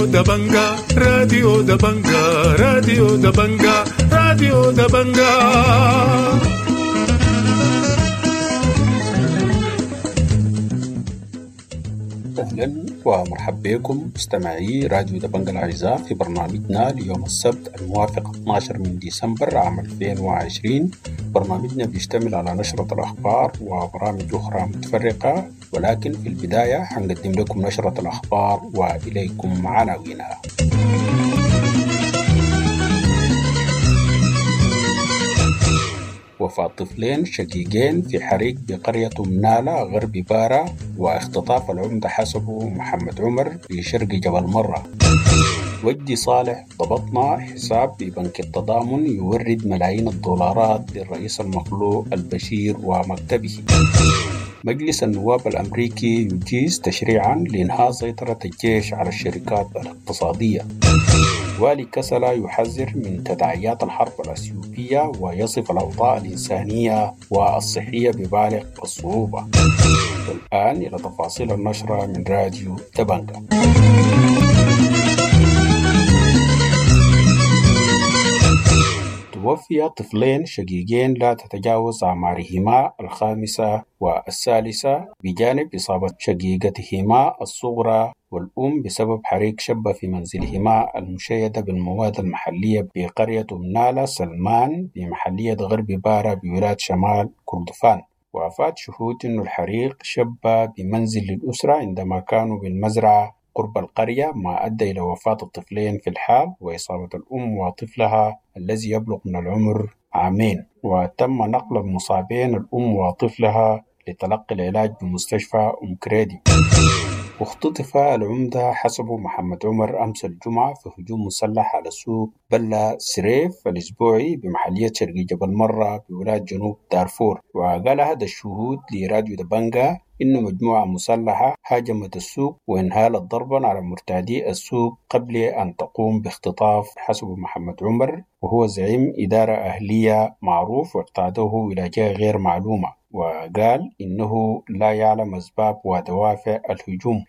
راديو دبنجا، راديو دبنجا، راديو دبنجا، راديو دبنجا. أهلا ومرحبا بكم مستمعي راديو دبنجا الأعزاء في برنامجنا ليوم السبت الموافق 12 من ديسمبر عام 2020. برنامجنا بيشتمل على نشرة الأخبار وبرامج أخرى متفرقة، ولكن في البداية حنقدم لكم نشرة الأخبار وإليكم عناوينها. وفاة طفلين شقيقين في حريق بقرية منالة غرب بارا، واختطاف العمدة حسبه محمد عمر في شرق جبل مرة. وجدي صالح ضبطنا حساب ببنك التضامن يورد ملايين الدولارات للرئيس المخلوع البشير ومكتبه. مجلس النواب الأمريكي يجيز تشريعا لإنهاء سيطرة الجيش على الشركات الاقتصادية. والي كسلا يحذر من تداعيات الحرب الأثيوبية ويصف الأوضاع الإنسانية والصحية ببالغ الصعوبة. والآن إلى تفاصيل النشرة من راديو دبنجا. توفي طفلين شقيقين لا تتجاوز أعمارهما 5 و3 بجانب إصابة شقيقتهما الصغرى والأم بسبب حريق شب في منزلهما المشيدة بالمواد المحلية بقرية منالة سلمان بمحلية غرب بارا بولاية شمال كردفان. وأفاد شهود أن الحريق شب بمنزل الأسرة عندما كانوا بالمزرعة قرب القرية، ما أدى إلى وفاة الطفلين في الحال وإصابة الأم وطفلها الذي يبلغ من العمر 2 عام. وتم نقل المصابين الأم وطفلها لتلقي العلاج بمستشفى أم كريدي. واختطف العمدة حسبه محمد عمر أمس الجمعة في هجوم مسلح على سوق بلا سريف الأسبوعي بمحلية شرق جبل مرة بولاية جنوب دارفور. وقال أحد الشهود لراديو دبنجا إن مجموعة مسلحة هاجمت السوق وانهالت ضربا على مرتادي السوق قبل أن تقوم باختطاف حسب محمد عمر، وهو زعيم إدارة أهلية معروف، واقتادوه إلى جهة غير معلومة. وقال إنه لا يعلم أسباب ودوافع الهجوم.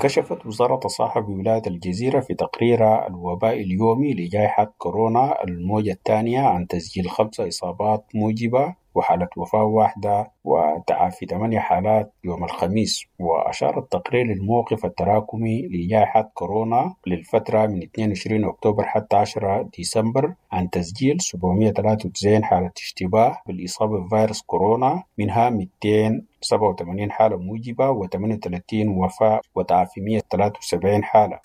كشفت وزارة الصحة بولاية الجزيرة في تقريرها الوباء اليومي لجائحة كورونا الموجة الثانية عن تسجيل 5 إصابات موجبة وحالة وفاة 1 وتعافي 8 حالات يوم الخميس. وأشار التقرير للموقف التراكمي لجائحة كورونا للفترة من 22 أكتوبر حتى 10 ديسمبر عن تسجيل 793 حالة اشتباه بالإصابة بفيروس كورونا، منها 287 حالة موجبة و38 وفاة وتعافي 173 حالة.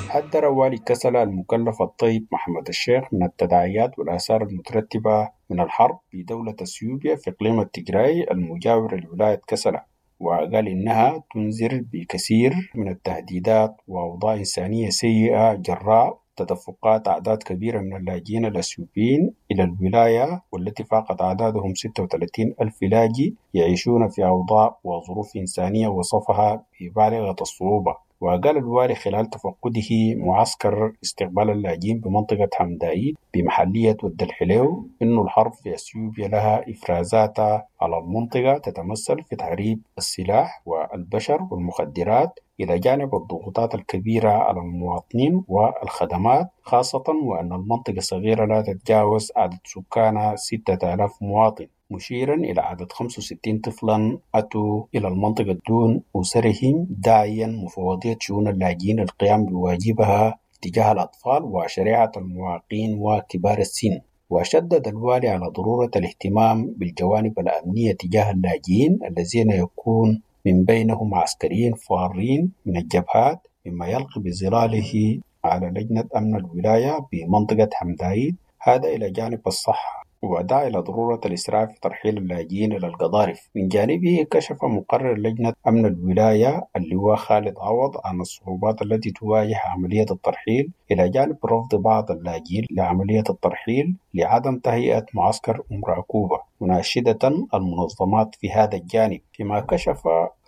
حذر والي كسلا المكلف الطيب محمد الشيخ من التداعيات والآثار المترتبة من الحرب بدولة اثيوبيا في إقليم التجراي المجاور لولاية كسلا، وقال إنها تنذر بكثير من التهديدات وأوضاع إنسانية سيئة جراء تدفقات أعداد كبيرة من اللاجئين الأثيوبيين إلى الولاية، والتي فاقت أعدادهم 36 ألف لاجئ يعيشون في أوضاع وظروف إنسانية وصفها ببالغة الصعوبة. وقال الوالي خلال تفقده معسكر استقبال اللاجئين بمنطقة حمدايد بمحلية ود الحليو إنه الحرب في أثيوبيا لها إفرازاتها على المنطقة تتمثل في تهريب السلاح والبشر والمخدرات، إلى جانب الضغوطات الكبيرة على المواطنين والخدمات، خاصة وأن المنطقة صغيرة لا تتجاوز عدد سكانها 6000 مواطن، مشيرا إلى عدد 65 طفلا أتوا إلى المنطقة دون أسرهم، داعيا مفوضية شؤون اللاجئين القيام بواجبها تجاه الأطفال وشريعة المعاقين وكبار السن. وشدد الوالي على ضرورة الاهتمام بالجوانب الأمنية تجاه اللاجئين الذين يكون من بينهم عسكريين فارين من الجبهات، مما يلقي بظلاله على لجنة أمن الولاية بمنطقة حمدايد، هذا إلى جانب الصحة. ودعا إلى ضرورة الإسراع في ترحيل اللاجئين إلى القضارف. من جانبه كشف مقرر لجنة أمن الولاية اللواء خالد عوض عن الصعوبات التي تواجه عملية الترحيل، إلى جانب رفض بعض اللاجئين لعملية الترحيل لعدم تهيئة معسكر أم راكوبة، مناشدة المنظمات في هذا الجانب. فيما كشف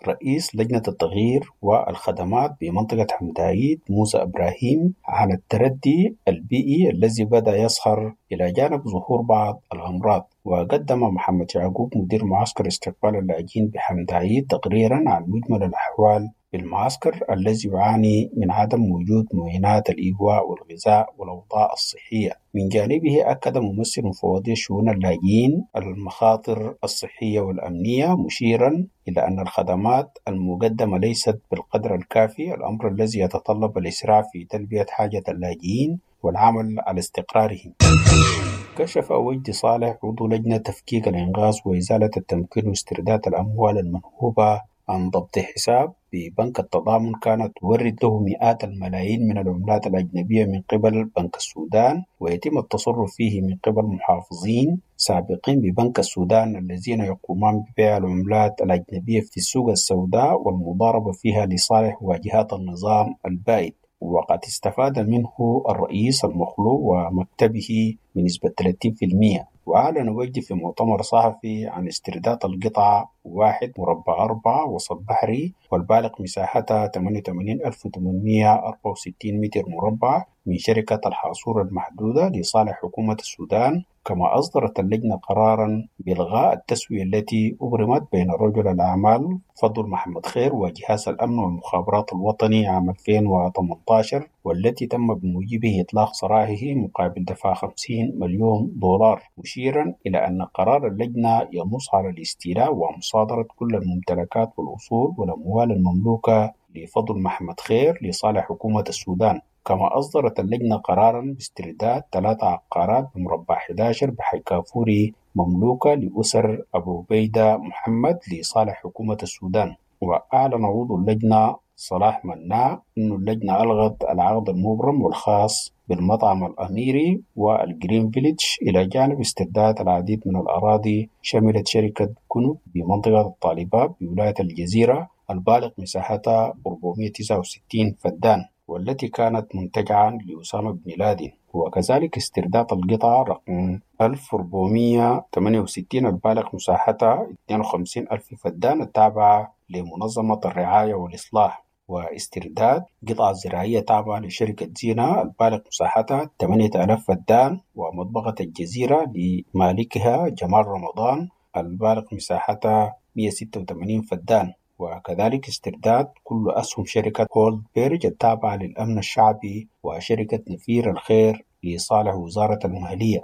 رئيس لجنة التغيير والخدمات بمنطقة حمدايد موسى إبراهيم عن التردي البيئي الذي بدأ يظهر إلى جانب ظهور بعض الأمراض. وقدم محمد يعقوب مدير معسكر استقبال اللاجئين بحمدايد تقريرا عن مجمل الأحوال بالمعسكر الذي يعاني من عدم وجود معينات الإيواء والغذاء والأوضاع الصحية. من جانبه أكد ممثل مفوضية شؤون اللاجئين المخاطر الصحية والأمنية، مشيرا إلى أن الخدمات المقدمة ليست بالقدر الكافي، الأمر الذي يتطلب الإسراع في تلبية حاجة اللاجئين والعمل على استقرارهم. كشف وجدي صالح عضو لجنة تفكيك الإنقاذ وإزالة التمكين واسترداد الأموال المنهوبة عن ضبط حساب ببنك التضامن كانت تورد له مئات الملايين من العملات الأجنبية من قبل بنك السودان، ويتم التصرف فيه من قبل محافظين سابقين ببنك السودان الذين يقومان ببيع العملات الأجنبية في السوق السوداء والمضاربة فيها لصالح واجهات النظام البائد. وقد استفاد منه الرئيس المخلوع ومكتبه بنسبة 30%. وأعلن وجدي في مؤتمر صحفي عن استرداد القطعة 1/4 وسط بحري والبالغ مساحتها 88,864 متر مربع من شركة الحاصور المحدودة لصالح حكومة السودان. كما أصدرت اللجنة قرارا بإلغاء التسوية التي أبرمت بين رجل الأعمال فضل محمد خير وجهاز الأمن والمخابرات الوطني عام 2018، والتي تم بموجبه إطلاق سراحه مقابل دفع 50 مليون دولار، مشيرا إلى أن قرار اللجنة ينص على الاستيلاء ومصادرة كل الممتلكات والأصول والأموال المملوكة لفضل محمد خير لصالح حكومة السودان. كما أصدرت اللجنة قرارا باسترداد 3 عقارات بمربع 11 بحي كافوري مملوكة لأسر أبو عبيدة محمد لصالح حكومة السودان. وأعلن عضو اللجنة صلاح مناع أن اللجنة ألغت العقد المبرم والخاص بالمطعم الأميري والجرين فيليج، إلى جانب استرداد العديد من الأراضي شملت شركة كنوب بمنطقة الطالبات بولاية الجزيرة البالغ مساحتها 469 فدان والتي كانت منتجعا لأسامة بن لادن، وكذلك استرداد القطعة رقم 1468 البالغ مساحتها 52,000 فدان التابعة لمنظمة الرعاية والإصلاح، واسترداد قطعة زراعية تابعة لشركة زينة البالغ مساحتها 8,000 فدان، ومطبقة الجزيرة لمالكها جمال رمضان البالغ مساحتها 186 فدان، وكذلك استرداد كل أسهم شركة هولد بيرج التابعة للأمن الشعبي وشركة نفير الخير لصالح وزارة المالية.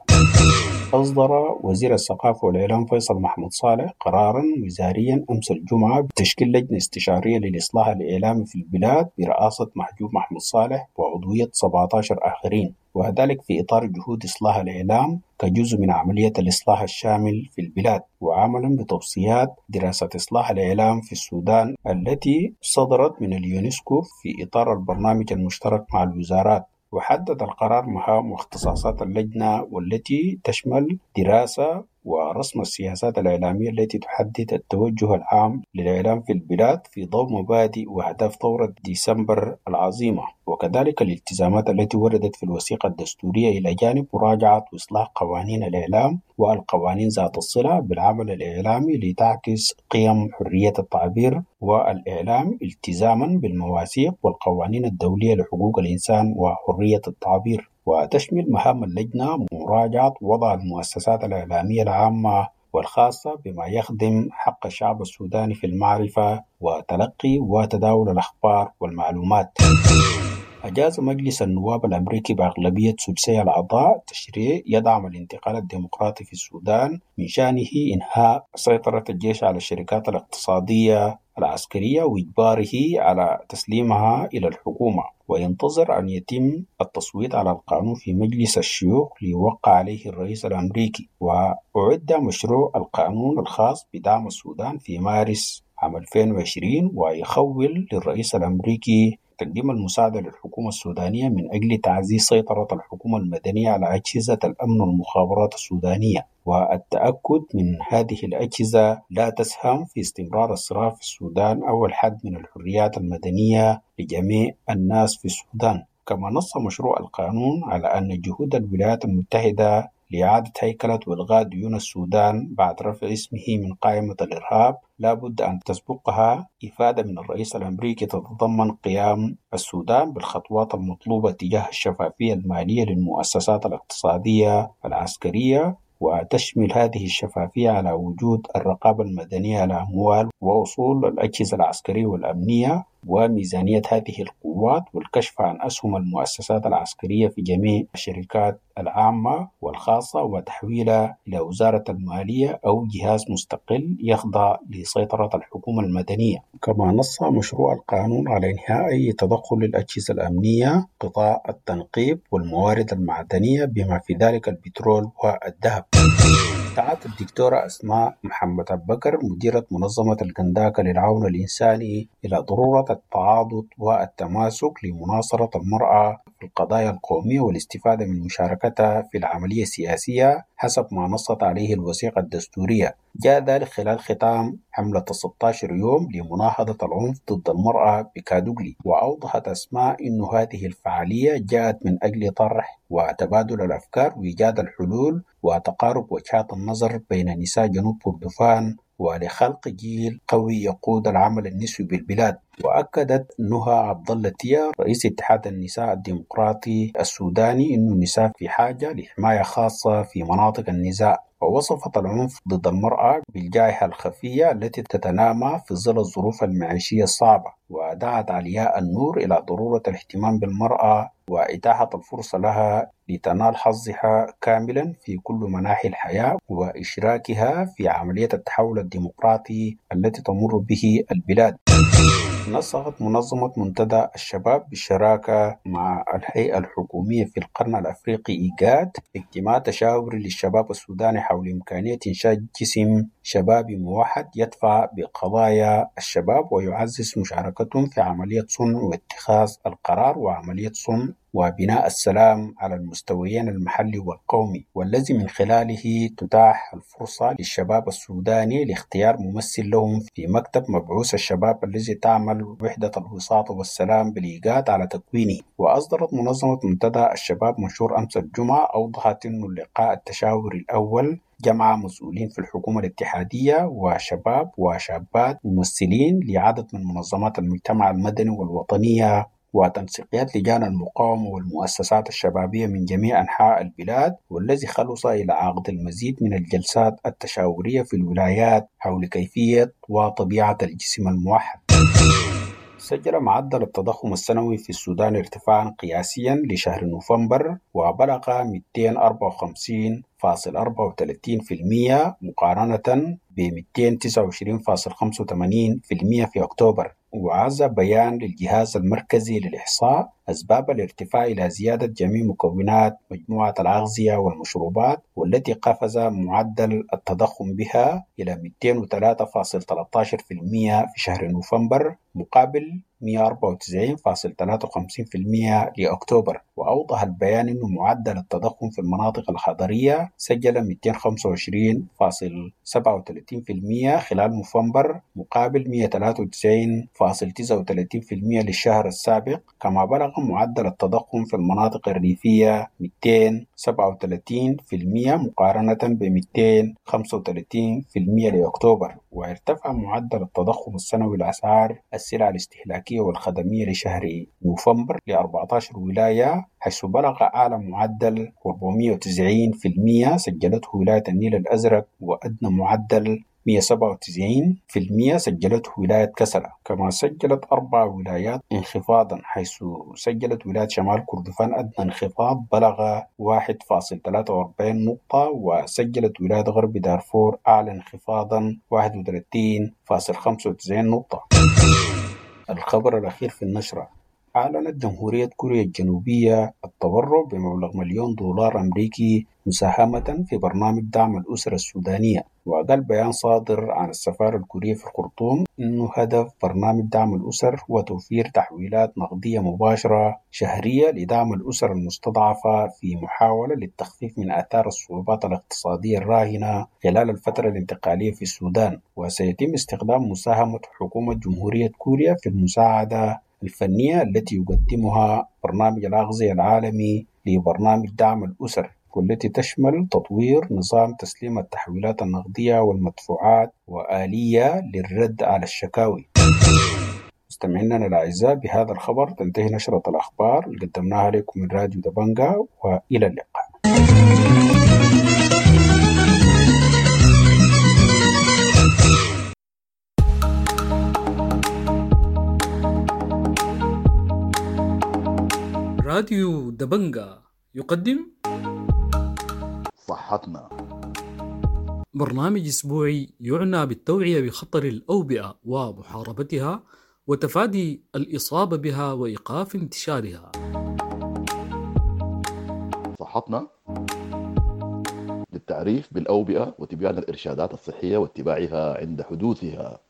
أصدر وزير الثقافة والإعلام فيصل محمود صالح قرارا وزاريا أمس الجمعة بتشكيل لجنة استشارية للإصلاح الإعلامي في البلاد برئاسة محجوب محمود صالح وعضوية 17 آخرين، وذلك في إطار جهود إصلاح الإعلام كجزء من عملية الإصلاح الشامل في البلاد، وعملا بتوصيات دراسة إصلاح الإعلام في السودان التي صدرت من اليونسكو في إطار البرنامج المشترك مع الوزارات. وحدد القرار مهام واختصاصات اللجنة والتي تشمل دراسة ورسم السياسات الإعلامية التي تحدد التوجه العام للإعلام في البلاد في ضوء مبادئ وأهداف ثورة ديسمبر العظيمة، وكذلك الالتزامات التي وردت في الوثيقة الدستورية، إلى جانب مراجعة وإصلاح قوانين الإعلام والقوانين ذات الصلة بالعمل الإعلامي لتعكس قيم حرية التعبير والإعلام التزاما بالمواثيق والقوانين الدولية لحقوق الإنسان وحرية التعبير. وتشمل مهام اللجنة مراجعة وضع المؤسسات الإعلامية العامة والخاصة بما يخدم حق الشعب السوداني في المعرفة وتلقي وتداول الأخبار والمعلومات. أجاز مجلس النواب الأمريكي بأغلبية ثلثي الأعضاء تشريع يدعم الانتقال الديمقراطي في السودان من شأنه إنهاء سيطرة الجيش على الشركات الاقتصادية العسكرية وإجباره على تسليمها إلى الحكومة، وينتظر أن يتم التصويت على القانون في مجلس الشيوخ ليوقع عليه الرئيس الأمريكي. وأعد مشروع القانون الخاص بدعم السودان في مارس عام 2020، ويخول للرئيس الأمريكي تقديم المساعدة للحكومة السودانية من أجل تعزيز سيطرة الحكومة المدنية على أجهزة الأمن والمخابرات السودانية، والتأكد من هذه الأجهزة لا تسهم في استمرار الصراع في السودان أو الحد من الحريات المدنية لجميع الناس في السودان. كما نص مشروع القانون على أن جهود الولايات المتحدة لإعادة هيكلة وإلغاء ديون السودان بعد رفع اسمه من قائمة الإرهاب لا بد أن تسبقها إفادة من الرئيس الأمريكي تتضمن قيام السودان بالخطوات المطلوبة تجاه الشفافية المالية للمؤسسات الاقتصادية العسكرية، وتشمل هذه الشفافية على وجود الرقابة المدنية على أموال وأصول الأجهزة العسكرية والأمنية، وميزانية هذه القوات والكشف عن أسهم المؤسسات العسكرية في جميع الشركات العامة والخاصة وتحويلها إلى وزارة المالية أو جهاز مستقل يخضع لسيطرة الحكومة المدنية. كما نص مشروع القانون على إنهاء أي تدخل للأجهزة الأمنية، قطاع التنقيب والموارد المعدنية بما في ذلك البترول والذهب. دعت الدكتورة أسماء محمد أبو بكر مديرة منظمة الكنداكة للعون الإنساني إلى ضرورة التعاضد والتماسك لمناصرة المرأة في القضايا القومية والاستفادة من مشاركتها في العملية السياسية حسب ما نصت عليه الوثيقة الدستورية. جاء ذلك خلال ختام حملة 16 يوم لمناهضة العنف ضد المرأة بكادوغلي. وأوضحت أسماء أن هذه الفعالية جاءت من أجل طرح وتبادل الأفكار وإيجاد الحلول وتقارب وجهات النظر بين نساء جنوب كردفان ولخلق جيل قوي يقود العمل النسوي بالبلاد. وأكدت نهى عبد الله تيا رئيس اتحاد النساء الديمقراطي السوداني أن النساء في حاجة لحماية خاصة في مناطق النزاع، ووصفت العنف ضد المرأة بالجائحة الخفية التي تتنامى في ظل الظروف المعيشية الصعبة. ودعت علياء النور إلى ضرورة الاهتمام بالمرأة وإتاحة الفرصة لها لتنال حظها كاملا في كل مناحي الحياة وإشراكها في عملية التحول الديمقراطي التي تمر به البلاد. نسقت منظمة منتدى الشباب بالشراكة مع الهيئة الحكومية في القرن الأفريقي إيجاد اجتماع تشاوري للشباب السوداني حول إمكانية إنشاء جسم شبابي موحد يدفع بقضايا الشباب ويعزز مشاركتهم في عملية صنع واتخاذ القرار وعملية صنع وبناء السلام على المستويين المحلي والقومي، والذي من خلاله تتاح الفرصة للشباب السوداني لاختيار ممثل لهم في مكتب مبعوث الشباب الذي تعمل وحدة الوساطة والسلام بالإيجاد على تكوينه. وأصدرت منظمة منتدى الشباب منشور أمس الجمعة أوضحت أن اللقاء التشاوري الأول جمع مسؤولين في الحكومة الاتحادية وشباب وشابات ممثلين لعدد من منظمات المجتمع المدني والوطنية وتنسيقيات لجان المقاومة والمؤسسات الشبابية من جميع أنحاء البلاد، والذي خلص إلى عقد المزيد من الجلسات التشاورية في الولايات حول كيفية وطبيعة الجسم الموحد. سجل معدل التضخم السنوي في السودان ارتفاعا قياسيا لشهر نوفمبر وبلغ 254.34% مقارنة ب 229.85% في أكتوبر. وعزى بيان للجهاز المركزي للإحصاء أسباب الارتفاع إلى زيادة جميع مكونات مجموعة الأغذية والمشروبات، والتي قفز معدل التضخم بها إلى 203.13% في شهر نوفمبر مقابل 194.53% لأكتوبر. وأوضح البيان أن معدل التضخم في المناطق الحضرية سجل 225.37% خلال نوفمبر مقابل 193.39% للشهر السابق، كما بلغ معدل التضخم في المناطق الريفية 237% مقارنة ب 235% لأكتوبر. وارتفع معدل التضخم السنوي لأسعار السلع الاستهلاكية والخدمية لشهر نوفمبر ل 14 ولاية، حيث بلغ أعلى معدل 490% سجلته ولاية النيل الأزرق، وأدنى معدل 197% سجلته ولاية كسلا. كما سجلت 4 ولايات انخفاضا، حيث سجلت ولاية شمال كردفان أدنى انخفاض بلغ 1.43 نقطة، وسجلت ولاية غرب دارفور أعلى انخفاضا 31.95 نقطة. الخبر الأخير في النشرة: أعلنت جمهورية كوريا الجنوبية التبرع بمبلغ $1,000,000 أمريكي مساهمة في برنامج دعم الأسرة السودانية. وقال بيان صادر عن السفارة الكورية في الخرطوم إنه هدف برنامج دعم الأسر هو توفير تحويلات نقدية مباشرة شهرية لدعم الأسر المستضعفة في محاولة للتخفيف من آثار الصعوبات الاقتصادية الراهنة خلال الفترة الانتقالية في السودان. وسيتم استخدام مساهمة حكومة جمهورية كوريا في المساعدة الفنية التي يقدمها برنامج الأغذية العالمي لبرنامج دعم الأسر، والتي تشمل تطوير نظام تسليم التحويلات النقدية والمدفوعات وآلية للرد على الشكاوي. مستمعينا الأعزاء، بهذا الخبر تنتهي نشرة الأخبار اللي قدمناها لكم من راديو دبنجا، وإلى اللقاء. راديو دبنجا يقدم صحتنا، برنامج أسبوعي يعنى بالتوعية بخطر الأوبئة ومحاربتها وتفادي الإصابة بها وإيقاف انتشارها. صحتنا للتعريف بالأوبئة وتبيان الإرشادات الصحية واتباعها عند حدوثها.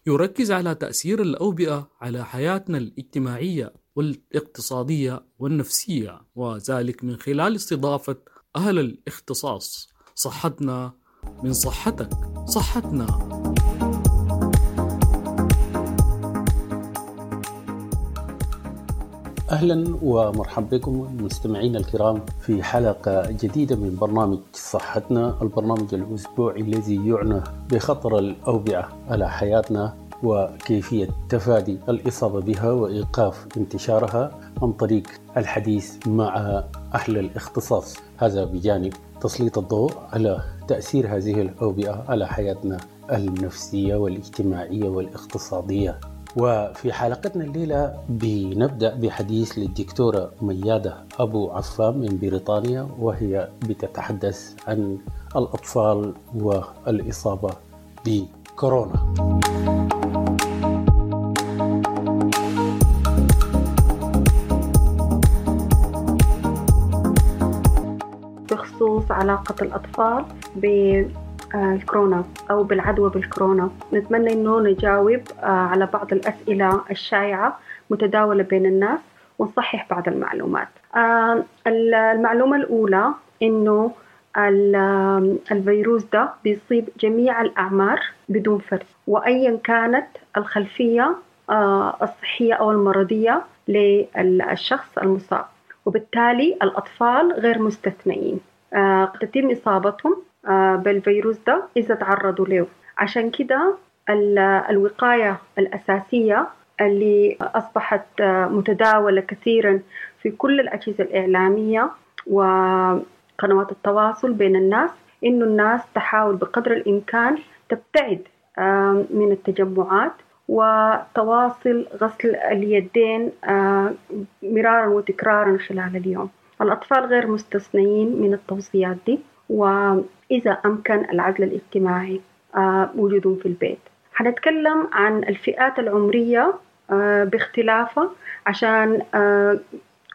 يركز على تأثير الأوبئة على حياتنا الاجتماعية والاقتصادية والنفسية، وذلك من خلال استضافة أهل الاختصاص. صحتنا من صحتك، صحتنا. أهلا ومرحبا بكم المستمعين الكرام في حلقة جديدة من برنامج صحتنا، البرنامج الأسبوعي الذي يعنى بخطر الأوبئة على حياتنا وكيفية تفادي الإصابة بها وإيقاف انتشارها عن طريق الحديث مع أهل الاختصاص، هذا بجانب تسليط الضوء على تأثير هذه الأوبئة على حياتنا النفسية والاجتماعية والاقتصادية. وفي حلقتنا الليلة بنبدأ بحديث للدكتورة ميادة أبو عفان من بريطانيا، وهي بتتحدث عن الأطفال والإصابة بكورونا. بخصوص علاقة الأطفال بالكورونا أو بالعدوى بالكورونا، نتمنى أنه نجاوب على بعض الأسئلة الشائعة متداولة بين الناس ونصحح بعض المعلومات. المعلومة الأولى أنه الفيروس ده بيصيب جميع الأعمار بدون فرق، وأيا كانت الخلفية الصحية أو المرضية للشخص المصاب، وبالتالي الأطفال غير مستثنئين، قد تتم إصابتهم بالفيروس ده إذا تعرضوا له. عشان كده الوقاية الأساسية اللي أصبحت متداولة كثيرا في كل الأجهزة الإعلامية وقنوات التواصل بين الناس، إنه الناس تحاول بقدر الإمكان تبتعد من التجمعات وتواصل غسل اليدين مرارا وتكرارا خلال اليوم. الأطفال غير مستثنيين من التوصيات دي، وإذا أمكن العزل الاجتماعي وجودهم في البيت. هنتكلم عن الفئات العمرية باختلافها، عشان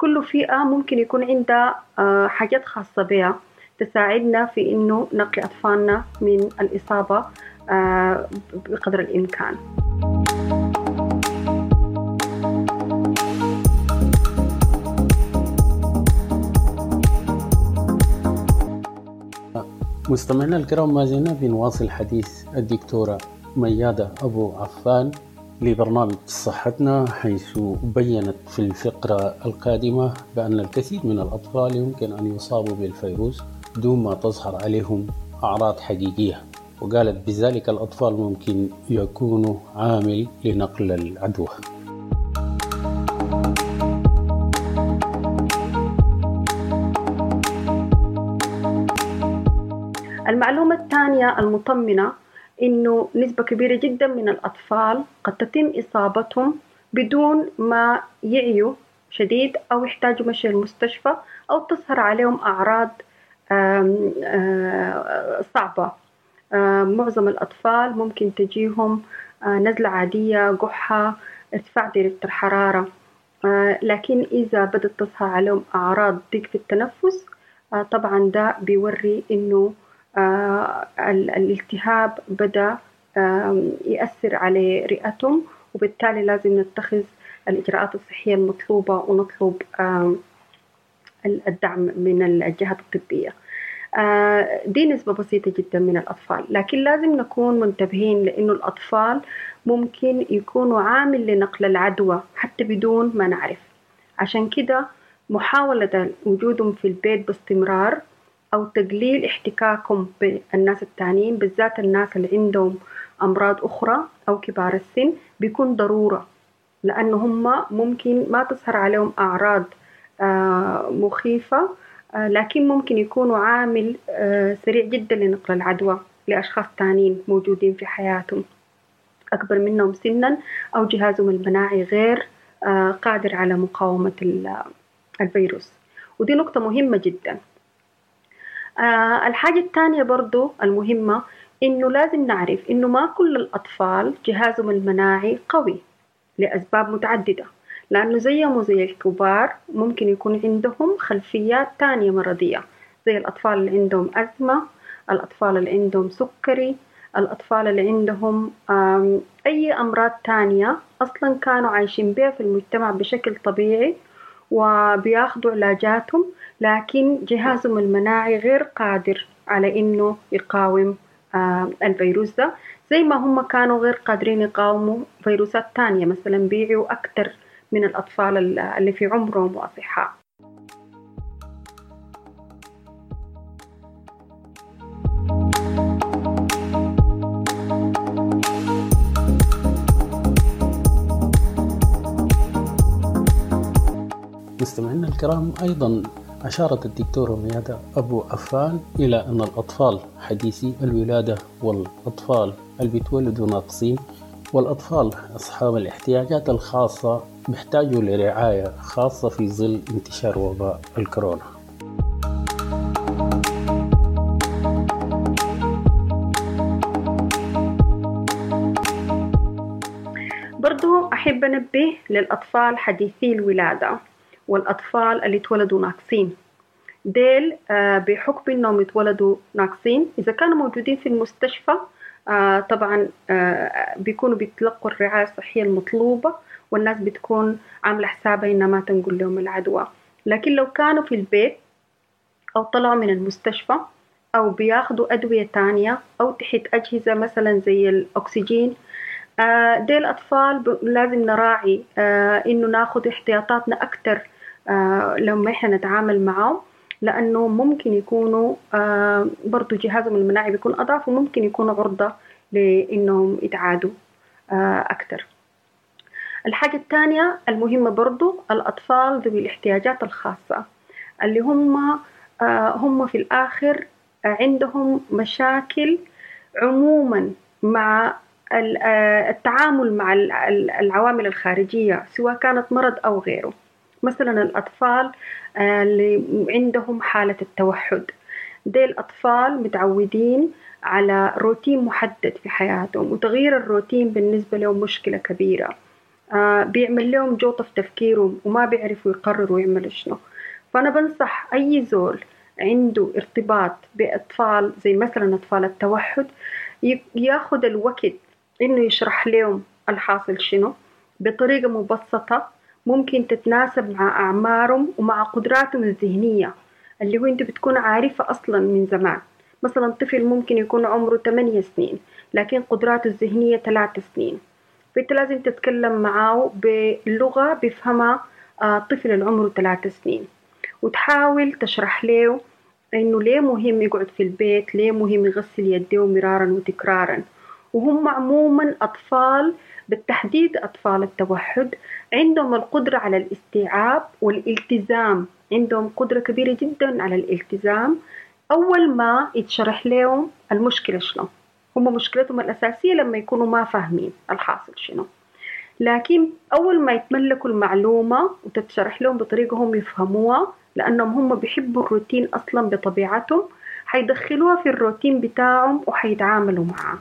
كل فئة ممكن يكون عندها حاجات خاصة بها تساعدنا في إنه نقي أطفالنا من الإصابة بقدر الإمكان. مستمعينا الكرام، ما زلنا بنواصل حديث الدكتورة ميادة أبو عفان لبرنامج صحتنا، حيث بيّنت في الفقرة القادمة بأن الكثير من الأطفال يمكن أن يصابوا بالفيروس دون ما تظهر عليهم أعراض حقيقية، وقالت بذلك الأطفال ممكن يكونوا عامل لنقل العدوى. المعلومة الثانية المطمئنة إنه نسبة كبيرة جدا من الأطفال قد تتم إصابتهم بدون ما يعيوا شديد أو يحتاجوا مشي المستشفى أو تظهر عليهم أعراض صعبة. معظم الأطفال ممكن تجيهم نزلة عادية، قحة، ارتفاع درجة الحرارة، لكن إذا بدأت تظهر عليهم أعراض ضيق في التنفس طبعا ده بيوري إنه الالتهاب بدأ يأثر على رئتهم، وبالتالي لازم نتخذ الإجراءات الصحية المطلوبة ونطلب الدعم من الجهات الطبية. دي نسبة بسيطة جدا من الأطفال، لكن لازم نكون منتبهين لأنه الأطفال ممكن يكونوا عامل لنقل العدوى حتى بدون ما نعرف. عشان كده محاولة وجودهم في البيت باستمرار أو تقليل احتكاكهم بالناس التانيين، بالذات الناس اللي عندهم أمراض أخرى أو كبار السن، بيكون ضرورة، لأنه هم ممكن ما تظهر عليهم أعراض مخيفة، لكن ممكن يكونوا عامل سريع جدا لنقل العدوى لأشخاص تانيين موجودين في حياتهم أكبر منهم سنا أو جهازهم المناعي غير قادر على مقاومة الفيروس، ودي نقطة مهمة جدا. الحاجة الثانية برضو المهمة إنه لازم نعرف إنه ما كل الأطفال جهازهم المناعي قوي لأسباب متعددة، لأنه زيهم وزي الكبار ممكن يكون عندهم خلفيات تانية مرضية، زي الأطفال اللي عندهم أزمة، الأطفال اللي عندهم سكري، الأطفال اللي عندهم أي أمراض تانية أصلاً كانوا عايشين بها في المجتمع بشكل طبيعي وبياخدوا علاجاتهم، لكن جهازهم المناعي غير قادر على إنه يقاوم الفيروس ده، زي ما هم كانوا غير قادرين يقاوموا فيروسات تانية مثلاً بيعوا أكتر من الأطفال اللي في عمرهم وأصحاء. مستمعينا الكرام، أيضا أشارت الدكتورة ميادة أبو عفان إلى أن الأطفال حديثي الولادة والأطفال اللي بيتولدوا ناقصين والأطفال أصحاب الاحتياجات الخاصة بيحتاجوا لرعاية خاصة في ظل انتشار وباء الكورونا. برضو أحب أنبه للأطفال حديثي الولادة والأطفال اللي اتولدوا ناقصين، ديل بحكم إنهم اتولدوا ناقصين إذا كانوا موجودين في المستشفى طبعا بيكونوا بيتلقوا الرعاية الصحية المطلوبة والناس بتكون عاملة حسابها إنها ما تنقل لهم العدوى، لكن لو كانوا في البيت أو طلعوا من المستشفى أو بياخدوا أدوية تانية أو تحت أجهزة مثلا زي الأكسجين، ديل أطفال لازم نراعي إنه ناخد احتياطاتنا أكتر لما إحنا نتعامل معهم، لأنه ممكن يكونوا برضو جهازهم المناعي بيكون أضعف وممكن يكونوا عرضة لإنهم يتعادوا أكتر. الحاجة الثانية المهمة برضو الأطفال ذوي الاحتياجات الخاصة اللي هم في الآخر عندهم مشاكل عموما مع التعامل مع العوامل الخارجية سواء كانت مرض أو غيره. مثلا الأطفال اللي عندهم حالة التوحد، دي الأطفال متعودين على روتين محدد في حياتهم، وتغيير الروتين بالنسبة لهم مشكلة كبيرة، بيعمل لهم جوطة في تفكيرهم وما بيعرفوا يقرروا يعملوا شنو. فأنا بنصح أي زول عنده ارتباط بأطفال زي مثلا أطفال التوحد ياخد الوقت إنه يشرح لهم الحاصل شنو بطريقة مبسطة ممكن تتناسب مع أعمارهم ومع قدراتهم الذهنية اللي هو أنت بتكون عارفة أصلا من زمان. مثلا طفل ممكن يكون عمره 8 سنين لكن قدراته الذهنية 3 سنين، فأنت لازم تتكلم معاه بلغة بيفهمها طفل اللي عمره 3 سنين، وتحاول تشرح له إنه ليه مهم يقعد في البيت، ليه مهم يغسل يديه مرارا وتكرارا. وهم عموما أطفال بالتحديد أطفال التوحد عندهم القدرة على الاستيعاب والالتزام، عندهم قدرة كبيرة جدا على الالتزام أول ما يتشرح لهم المشكلة شنو. هم مشكلتهم الأساسية لما يكونوا ما فاهمين الحاصل شنو، لكن أول ما يتملكوا المعلومة وتتشرح لهم بطريقة هم يفهموها، لأنهم هم بيحبوا الروتين أصلا بطبيعتهم، حيدخلوها في الروتين بتاعهم وحيتعاملوا معاه.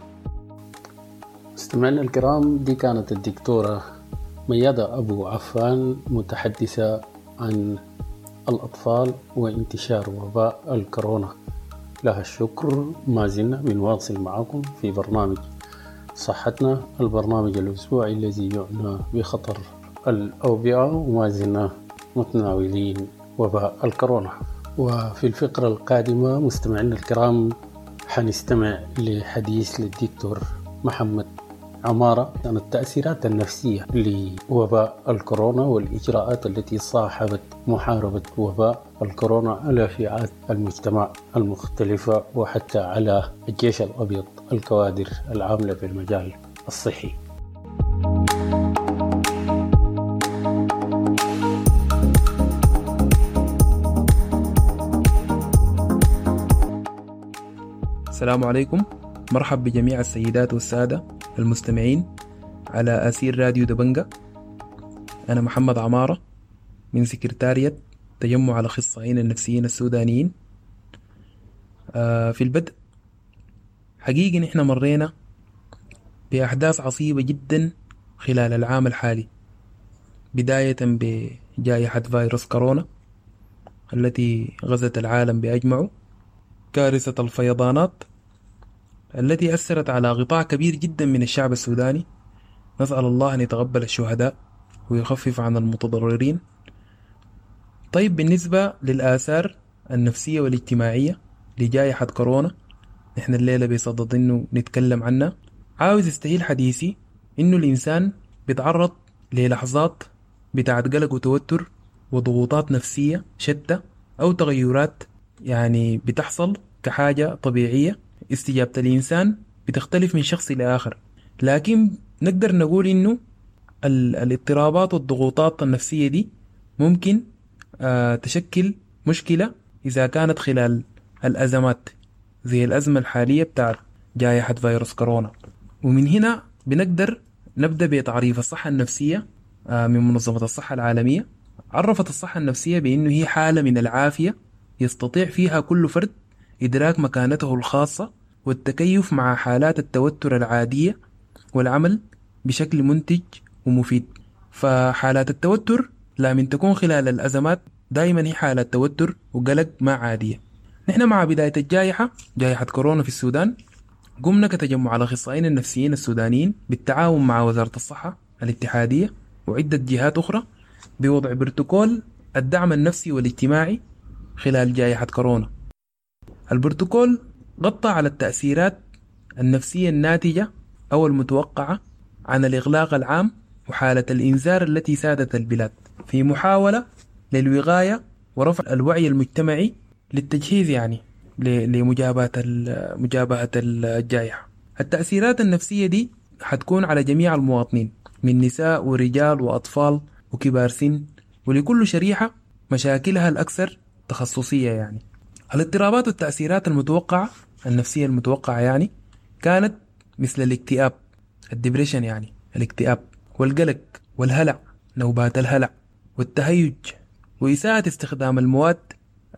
مستمعينا الكرام، دي كانت الدكتورة ميادة أبو عفان متحدثة عن الأطفال وانتشار وباء الكورونا. لها الشكر. ما زلنا بنواصل معكم في برنامج صحتنا، البرنامج الأسبوعي الذي يعنى بخطر الأوبئة، وما زلنا متناولين وباء الكورونا. وفي الفقرة القادمة مستمعينا الكرام حنستمع لحديث للدكتور محمد عمارة عن التأثيرات النفسية لوباء الكورونا والإجراءات التي صاحبت محاربة وباء الكورونا على فئات المجتمع المختلفة وحتى على الجيش الأبيض، الكوادر العاملة في المجال الصحي. السلام عليكم، مرحب بجميع السيدات والسادة المستمعين على أثير راديو دبنجة. أنا محمد عمارة من سكرتارية تجمع الأخصائيين النفسيين السودانيين. في البدء حقيقي نحن مرينا بأحداث عصيبة جدا خلال العام الحالي، بداية بجائحة فيروس كورونا التي غزت العالم بأجمعه، كارثة الفيضانات التي أثرت على قطاع كبير جدا من الشعب السوداني. نسأل الله أن يتقبل الشهداء ويخفف عن المتضررين. طيب، بالنسبة للآثار النفسية والاجتماعية لجائحة كورونا، نحن الليلة بصدد إنه نتكلم عنها. عاوز استهيل حديثي إنه الإنسان بيتعرض للحظات بتاعت قلق وتوتر وضغوطات نفسية شتى أو تغيرات يعني بتحصل كحاجة طبيعية. استجابة الإنسان بتختلف من شخص إلى آخر، لكن نقدر نقول إنه الاضطرابات والضغوطات النفسية دي ممكن تشكل مشكلة إذا كانت خلال الأزمات زي الأزمة الحالية بتاعت جائحة فيروس كورونا. ومن هنا بنقدر نبدأ بتعريف الصحة النفسية من منظمة الصحة العالمية. عرفت الصحة النفسية بأنه هي حالة من العافية يستطيع فيها كل فرد إدراك مكانته الخاصة والتكيف مع حالات التوتر العادية والعمل بشكل منتج ومفيد. فحالات التوتر لا من تكون خلال الأزمات دائما هي حالات توتر وقلق ما عادية. نحن مع بداية الجائحة، جائحة كورونا في السودان، قمنا كتجمع الأخصائيين النفسيين السودانيين بالتعاون مع وزارة الصحة الاتحادية وعدة جهات أخرى بوضع بروتوكول الدعم النفسي والاجتماعي خلال جائحة كورونا. البروتوكول غطى على التأثيرات النفسية الناتجة أو المتوقعة عن الإغلاق العام وحالة الإنذار التي سادت البلاد، في محاولة للوقاية ورفع الوعي المجتمعي للتجهيز يعني لمجابهة الجائحة. التأثيرات النفسية دي حتكون على جميع المواطنين من نساء ورجال وأطفال وكبار سن، ولكل شريحة مشاكلها الأكثر تخصصية. يعني الاضطرابات والتأثيرات المتوقعة النفسية المتوقعة يعني كانت مثل الاكتئاب، ال depression يعني الاكتئاب، والقلق والهلع، نوبات الهلع، والتهيج، وإساءة استخدام المواد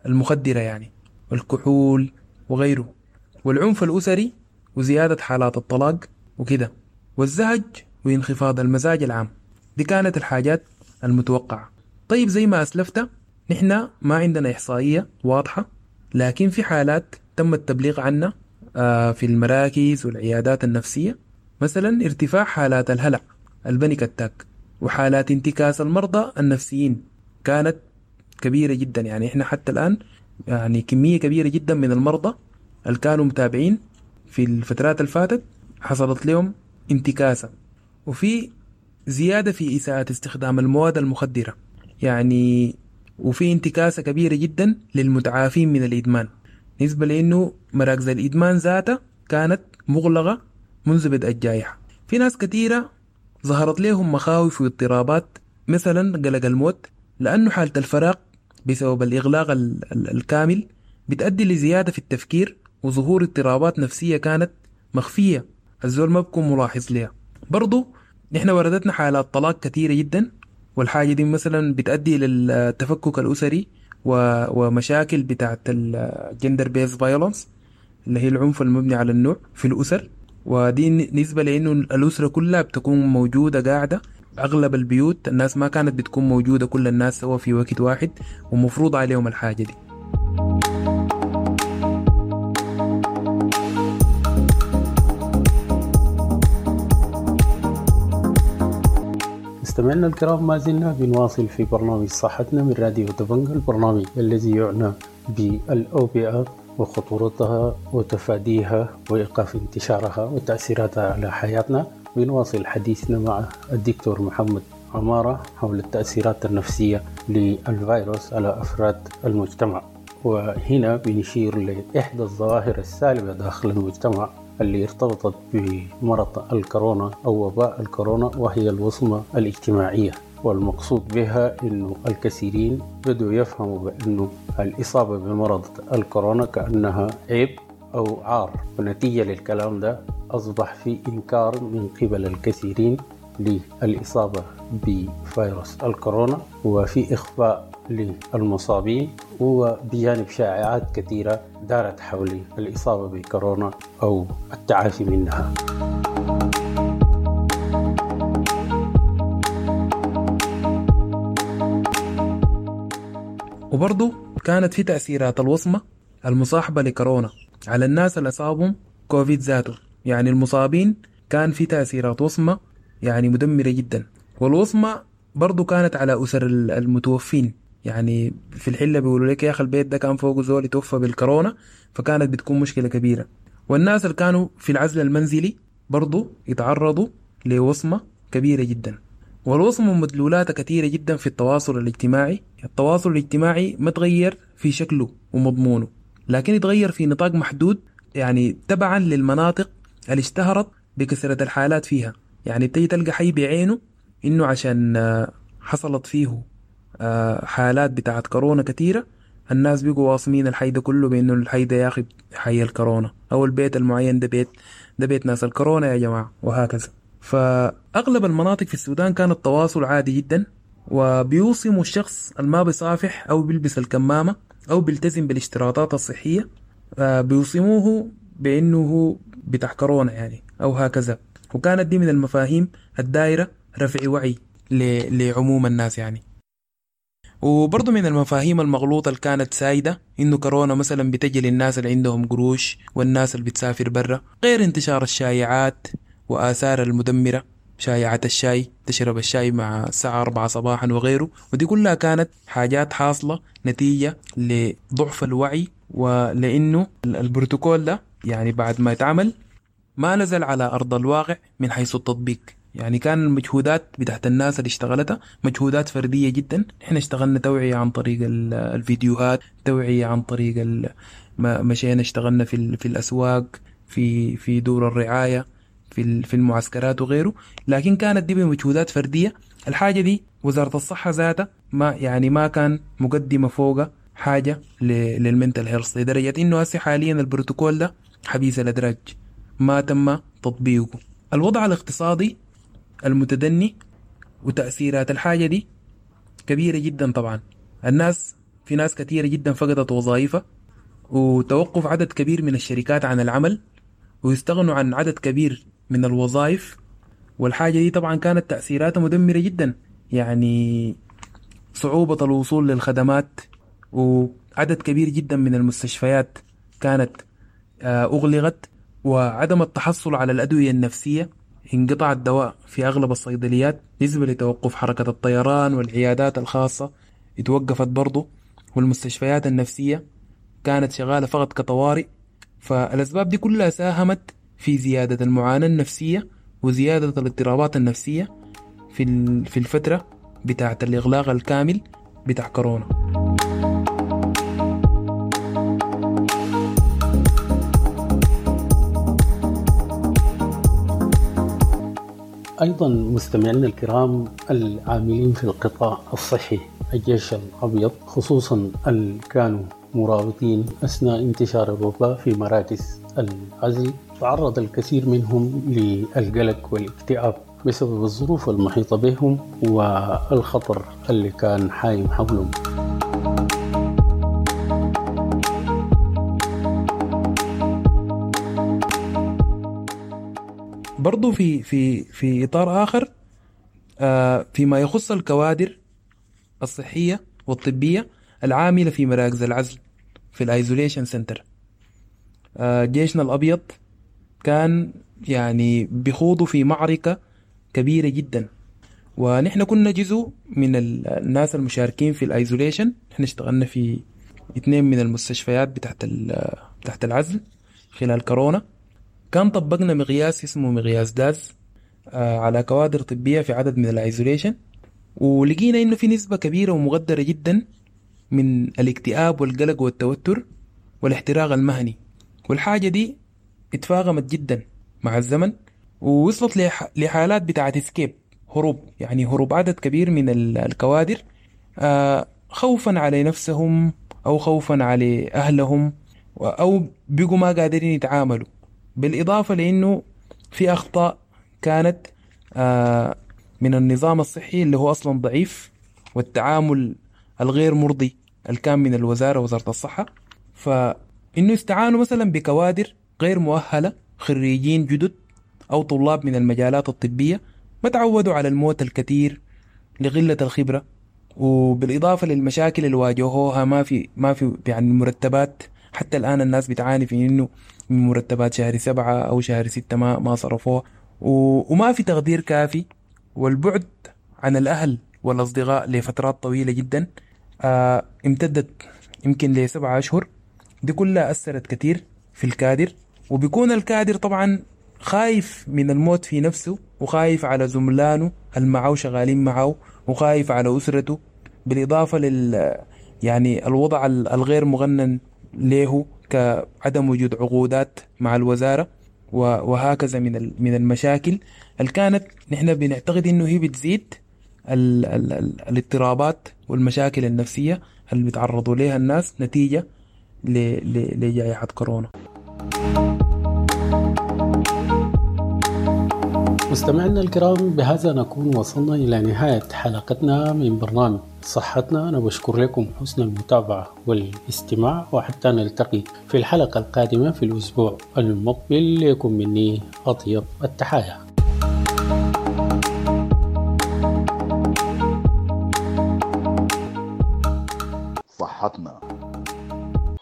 المخدرة يعني والكحول وغيره، والعنف الأسري وزيادة حالات الطلاق وكده، والزهج وانخفاض المزاج العام. دي كانت الحاجات المتوقعة. طيب، زي ما أسلفت نحن ما عندنا إحصائية واضحة، لكن في حالات تم التبليغ عنها في المراكز والعيادات النفسية، مثلا ارتفاع حالات الهلع، ال panic attack، وحالات انتكاس المرضى النفسيين كانت كبيرة جدا. يعني احنا حتى الآن يعني كمية كبيرة جدا من المرضى اللي كانوا متابعين في الفترات اللي فاتت حصلت لهم انتكاسة. وفي زيادة في إساءة استخدام المواد المخدرة يعني، وفي انتكاسة كبيرة جدا للمتعافين من الإدمان، نسبة لأنه مراكز الإدمان ذاتها كانت مغلقة منذ بدء الجائحة. في ناس كثيرة ظهرت لهم مخاوف واضطرابات، مثلا قلق الموت، لأنه حالة الفراغ بسبب الإغلاق الكامل بتؤدي لزيادة في التفكير وظهور اضطرابات نفسية كانت مخفية، الزول ما بكون ملاحظ لها. برضو نحن وردتنا حالات طلاق كثيرة جدا، والحاجة دي مثلا بتؤدي للتفكك الأسري ومشاكل بتاعت ال gender based violence اللي هي العنف المبني على النوع في الأسر. ودي نسبة لأنه الأسرة كلها بتكون موجودة قاعدة، أغلب البيوت الناس ما كانت بتكون موجودة، كل الناس سوا في وقت واحد ومفروض عليهم الحاجة دي. مستمعينا الكرام، ما زلنا بنواصل في برنامج صحتنا من راديو دبنجا، البرنامج الذي يعنى بالأوبئة وخطورتها وتفاديها وإيقاف انتشارها وتأثيراتها على حياتنا. بنواصل حديثنا مع الدكتور محمد عمارة حول التأثيرات النفسية للفيروس على أفراد المجتمع، وهنا بنشير لإحدى الظواهر السالبة داخل المجتمع اللي ارتبطت بمرض الكورونا أو وباء الكورونا، وهي الوصمة الاجتماعية. والمقصود بها أنه الكثيرين بدوا يفهموا بأنه الإصابة بمرض الكورونا كأنها عيب أو عار، ونتيجة للكلام ده أصبح في إنكار من قبل الكثيرين للإصابة بفيروس الكورونا، وفي إخفاء للمصابين، وبجانب شائعات كثيرة دارت حول الإصابة بكورونا أو التعافي منها. وبرضو كانت في تأثيرات الوصمة المصاحبة لكورونا على الناس اللي أصابهم كوفيد ذاته. يعني المصابين كان في تأثيرات وصمة يعني مدمرة جدا، والوصمة برضو كانت على أسر المتوفين. يعني في الحلة بيقولوا لك يا أخي البيت ده كان فوقه زول يتوفى بالكورونا، فكانت بتكون مشكلة كبيرة. والناس اللي كانوا في العزل المنزلي برضو يتعرضوا لوصمة كبيرة جدا، والوصمة مدلولاتها كثيرة جدا في التواصل الاجتماعي. التواصل الاجتماعي ما تغير في شكله ومضمونه، لكن يتغير في نطاق محدود، يعني تبعا للمناطق اللي اشتهرت بكثرة الحالات فيها. يعني بتيجي تلقى حي بعينه إنه عشان حصلت فيه حالات بتاعت كورونا كثيرة، الناس بيقوا واصمين الحي ده كله بإنه الحي ده يا أخي حي الكورونا، أو البيت المعين ده بيت، ده بيت ناس الكورونا يا جماعة، وهكذا. فأغلب المناطق في السودان كان التواصل عادي جدا، وبيوصموا الشخص الما بيصافح أو بيلبس الكمامة أو بيلتزم بالاشتراطات الصحية، بيوصموه بأنه هو بتاع كورونا يعني أو هكذا. وكانت دي من المفاهيم الدائرة رفع وعي لعموم الناس يعني. وبرضو من المفاهيم المغلوطة اللي كانت سايدة إنه كورونا مثلا بتجي للناس اللي عندهم قروش والناس اللي بتسافر برا، غير انتشار الشائعات وآثار المدمرة، شائعة الشاي، تشرب الشاي مع الساعة 4 صباحا وغيره. ودي كلها كانت حاجات حاصلة نتيجة لضعف الوعي، ولأنه البروتوكول ده يعني بعد ما اتعمل ما نزل على أرض الواقع من حيث التطبيق. يعني كان المجهودات بتاعت الناس اللي اشتغلتها مجهودات فردية جدا. احنا اشتغلنا توعية عن طريق الفيديوهات، توعية عن طريق مشينا اشتغلنا في الأسواق، في دور الرعاية، في المعسكرات وغيره، لكن كانت دي بمجهودات فردية. الحاجة دي وزارة الصحة ذاتها ما كان مقدمة فوقها حاجة لل mental health، لدرجة انه هسه حاليا البروتوكول ده حبيس الأدراج، ما تم تطبيقه. الوضع الاقتصادي المتدني وتأثيرات الحاجة دي كبيرة جدا طبعا. الناس في ناس كثيرة جدا فقدت وظائفها، وتوقف عدد كبير من الشركات عن العمل، ويستغنوا عن عدد كبير من الوظائف. والحاجة دي طبعا كانت تأثيراتها مدمرة جدا، يعني صعوبة الوصول للخدمات، وعدد كبير جدا من المستشفيات كانت أغلقت، وعدم التحصل على الأدوية النفسية، انقطع الدواء في أغلب الصيدليات نسبة لتوقف حركة الطيران، والعيادات الخاصة اتوقفت برضو، والمستشفيات النفسية كانت شغالة فقط كطوارئ. فالأسباب دي كلها ساهمت في زيادة المعاناة النفسية وزيادة الاضطرابات النفسية في الفترة بتاعة الإغلاق الكامل بتاع كورونا. أيضا مستمعينا الكرام العاملين في القطاع الصحي، الجيش الأبيض خصوصا اللي كانوا مرابطين أثناء انتشار الوباء في مراكز العزل، تعرض الكثير منهم للقلق والاكتئاب بسبب الظروف المحيطة بهم والخطر اللي كان حايم حولهم. برضو في في في إطار آخر، فيما يخص الكوادر الصحية والطبية العاملة في مراكز العزل في ال isolation center، جيشنا الأبيض كان يعني بيخوضوا في معركة كبيرة جدا، ونحن كنا جزء من الناس المشاركين في ال isolation. نحن اشتغلنا في 2 من المستشفيات بتاعت العزل خلال كورونا. كان طبقنا مقياس اسمه مقياس DASS على كوادر طبية في عدد من ال isolation، ولقينا انه في نسبة كبيرة ومقدرة جدا من الاكتئاب والقلق والتوتر والاحتراق المهني، والحاجة دي اتفاقمت جدا مع الزمن، ووصلت لحالات بتاعت escape، هروب، يعني هروب عدد كبير من الكوادر خوفا على نفسهم أو خوفا على أهلهم، أو بيقوا ما قادرين يتعاملوا. بالإضافة لأنه في أخطاء كانت من النظام الصحي اللي هو أصلا ضعيف، والتعامل الغير مرضي اللي كان من الوزارة، وزارة الصحة. فإنه استعانوا مثلا بكوادر غير مؤهلة، خريجين جدد أو طلاب من المجالات الطبية ما تعودوا على الموت الكثير لقلة الخبرة، وبالإضافة للمشاكل اللي واجهوها ما في يعني مرتبات. حتى الآن الناس بتعاني في إنه من مرتبات شهر 7 أو شهر 6 ما صرفوها، وما في تقدير كافي، والبعد عن الأهل والأصدقاء لفترات طويلة جدا امتدت يمكن ل7 أشهر. دي كلها أثرت كثير في الكادر، وبيكون الكادر طبعا خايف من الموت في نفسه، وخايف على زملانه اللي معه شغالين معه، وخايف على أسرته، بالإضافة لل يعني الوضع الغير مغنن له كعدم وجود عقودات مع الوزارة، وهكذا من المشاكل اللي كانت نحن بنعتقد إنه هي بتزيد الاضطرابات والمشاكل النفسية اللي بيتعرضوا لها الناس نتيجة لجائحة كورونا. مستمعينا الكرام، بهذا نكون وصلنا إلى نهاية حلقتنا من برنامج صحتنا. أنا بشكر لكم حسن المتابعة والاستماع، وحتى نلتقي في الحلقة القادمة في الأسبوع المقبل. لكم مني أطيب التحايا. صحتنا،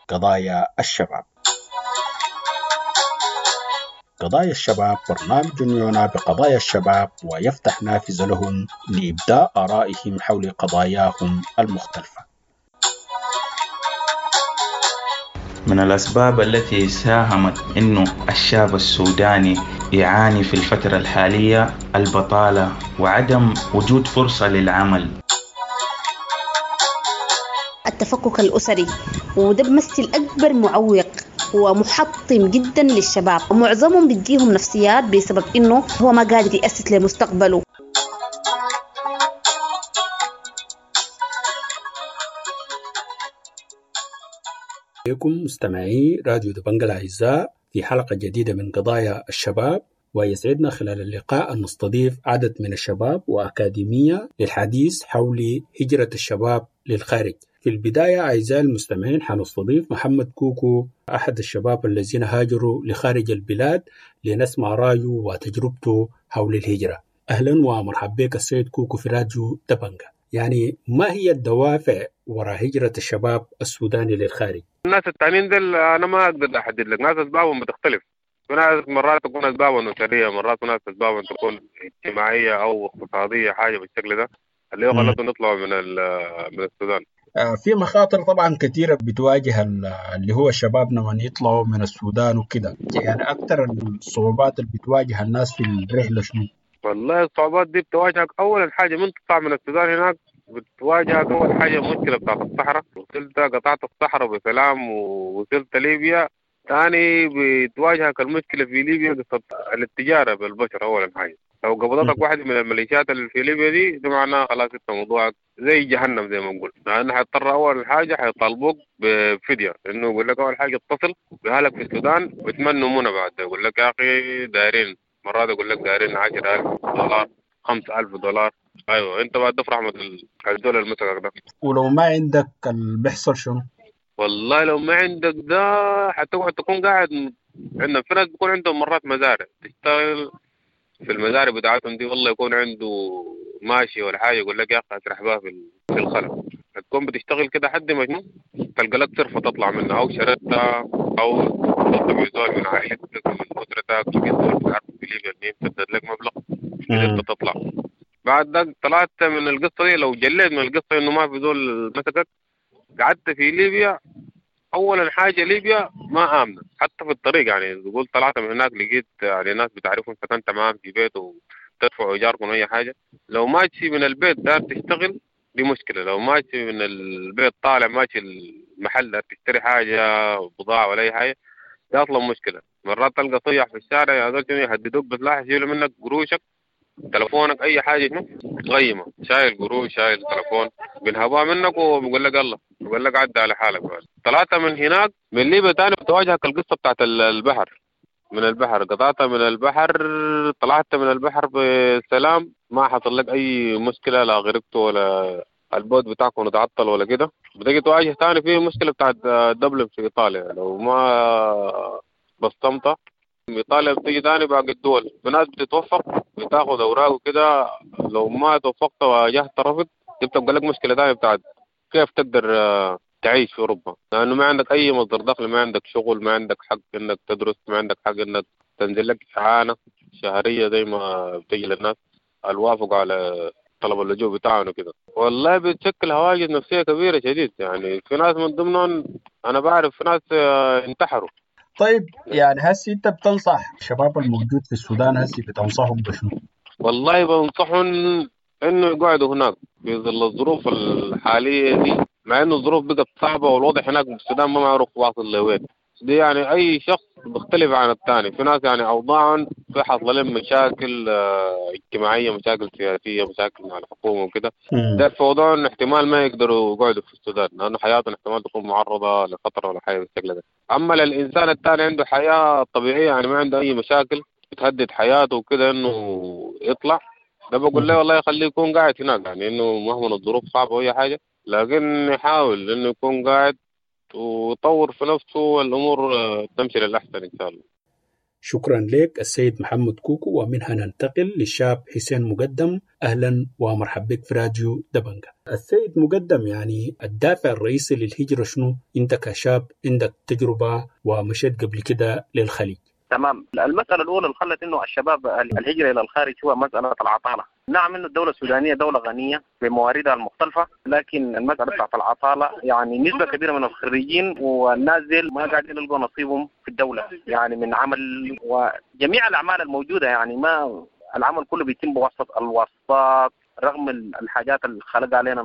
قضايا الشباب. قضايا الشباب برنامج يعنى بقضايا الشباب ويفتح نافذة لهم لإبداء آرائهم حول قضاياهم المختلفة. من الأسباب التي ساهمت أنه الشاب السوداني يعاني في الفترة الحالية البطالة وعدم وجود فرصة للعمل. التفكك الأسري، وده بمثل أكبر معوق ومحطم جدا للشباب، ومعظمهم بتجيهم نفسيات بسبب إنه هو ما قادر يأسس لمستقبله. بكم مستمعي راديو دبنجا الأعزاء في حلقة جديدة من قضايا الشباب، ويسعدنا خلال اللقاء أن نستضيف عدد من الشباب وأكاديمية للحديث حول هجرة الشباب للخارج. في البداية أعزائي المستمعين حنستضيف محمد كوكو، أحد الشباب الذين هاجروا لخارج البلاد، لنسمع رأيه وتجربته حول الهجرة. أهلا ومرحبا بك السيد كوكو في راديو دبنجا. يعني ما هي الدوافع وراء هجرة الشباب السوداني للخارج؟ الناس التانيين دول أنا ما أقدر أحدد لك، ناس أسبابهم بتختلف. ناس مرات تكون أسبابهم أسرية، مرات ناس أسبابهم تكون اجتماعية أو اقتصادية، حاجة بالشكل ده اللي هو خلتهم يطلعوا من السودان. في مخاطر طبعا كثيرة بتواجه اللي هو الشباب لما يطلعوا من السودان وكده، يعني أكثر الصعوبات اللي بتواجه الناس في الرحلة شنو؟ والله الصعوبات دي بتواجهك أول حاجة من تطلع من السودان هناك، بتواجهك أول حاجة مشكلة بتاعت الصحراء. وصلت قطعت الصحراء بسلام ووصلت ليبيا، ثاني بتواجهك المشكلة في ليبيا قصة التجارة بالبشر. أول حاجة لو قبضتك واحد من الميليشيات اللي في ليبيا دي معناها خلاص انت موضوعك زي جهنم زي ما نقول. لأن حيضطر أول حاجة حيطالبوك بفدية، إنه يقول لك أول حاجة اتصل بأهلك في السودان ويتمنوا منى بعد، يقول لك يا أخي دايرين، مرات يقول لك دايرين $10,000 $5,000. أيوة أنت بعد تفرح مثل الدولة المسكك ده. ولو ما عندك اللي بيحصل شنو؟ والله لو ما عندك ده حتقعد تكون قاعد. عندنا في ناس بيكون عندهم مرات مزارع، تشتغل في المزارع بتاعتهم دي، والله يكون عنده ماشي ولا حاجة، يقول لك يا أخي أسرح بها في الخلا. تكون بتشتغل كده حد ما شنو تلقى لك صرفة تطلع منها، أو شردتها أو تطلع زول من عائلتك من أسرتك، لقيت زول بتعرفه في ليبيا المهم سدد لك مبلغ قدرت تطلع. بعد ده طلعت من القصة دي، لو جليت من القصة إنه ما في زول مسكك، قعدت في ليبيا. أولا حاجة ليبيا ما آمنة حتى في الطريق، يعني تقول طلعت من هناك لقيت يعني ناس بتعرفهم سكنت معاهم في بيت وتدفعوا إيجاركم أي حاجة. لو ماشي من البيت دار تشتغل دي مشكلة، لو ماشي من البيت طالع ماشي المحل دار تشتري حاجة بضاعة ولا أي حاجة دي أصلا مشكلة. مرات تلقى صيح في الشارع يا زول يهددوك بسلاح، يشيلوا منك قروشك تلفونك أي حاجة شنو غيمة، شايل قروش شايل تلفون بينهبوها منك وبيقول لك الله، بيقول لك عدى على حالك. بعد طلعت من هناك من ليبيا تاني بتواجهك القصة بتاعت البحر. من البحر قطعت من البحر، طلعت من البحر بسلام، ما حصل لك اي مشكلة، لا غرقت ولا ال boat بتاعكم اتعطل ولا كده. بتيجي تواجه تاني في مشكلة بتاعت دبلن في ايطاليا، لو ما بصمت ايطاليا بتيجي تاني باقي الدول. في ناس بتتوفق بتاخد اوراق وكده، لو ما توفقت وواجهت رفض بتبقى لك مشكلة تانية بتاعت كيف تقدر تعيش في اوروبا، لانه ما عندك اي مصدر دخل، ما عندك شغل، ما عندك حق انك تدرس، ما عندك حق انك تنزل لك اعانه شهرية زي ما بتجي للناس الوافقوا على طلب اللجوء بتاعهم وكده. والله بتشكل هواجس نفسية كبيرة شديد، يعني في ناس من ضمنهم انا بعرف في ناس انتحروا. طيب يعني هسي انت بتنصح الشباب الموجود في السودان، هسي بتنصحهم بشنو؟ والله بنصحهم انه يقعدوا هناك في ظل الظروف الحالية دي، مع انه الظروف بقت صعبة والوضع هناك في السودان ما معروف واصل لوين. دي يعني اي شخص بيختلف عن الثاني، في ناس يعني اوضاعهم في حصل لهم مشاكل اجتماعية، مشاكل سياسية، مشاكل مع الحكومة وكده، ده في وضعهم احتمال ما يقدروا يقعدوا في السودان لانه حياتهم احتمال تكون معرضه لخطر ولا حاجة بالشكل ده. اما للانسان الثاني عنده حياة طبيعية، يعني ما عنده اي مشاكل بتهدد حياته وكده انه يطلع، ده بقول له والله خليه يكون قاعد هناك، يعني انه مهما الظروف صعبة واي حاجة لكن يحاول انه يكون قاعد ويطور في نفسه والامور تمشي للاحسن ان شاء الله. شكرا لك السيد محمد كوكو. ومنها ننتقل للشاب حسين مقدم. اهلا ومرحبا بك في راديو دبنجة. السيد مقدم، يعني الدافع الرئيسي للهجرة شنو؟ انت كشاب عندك تجربة ومشيت قبل كده للخليج. تمام. المسألة الأولى اللي خلت إنه الشباب الهجرة إلى الخارج هو مسألة العطالة. نعم إنه الدولة السودانية دولة غنية بمواردها المختلفة، لكن المسألة بتاعت العطالة يعني نسبة كبيرة من الخريجين والناس ديل ما قاعدين يلقوا نصيبهم في الدولة، يعني من عمل وجميع الأعمال الموجودة، يعني ما العمل كله بيتم بواسطة الواسطات، رغم الحاجات اللي خلق علينا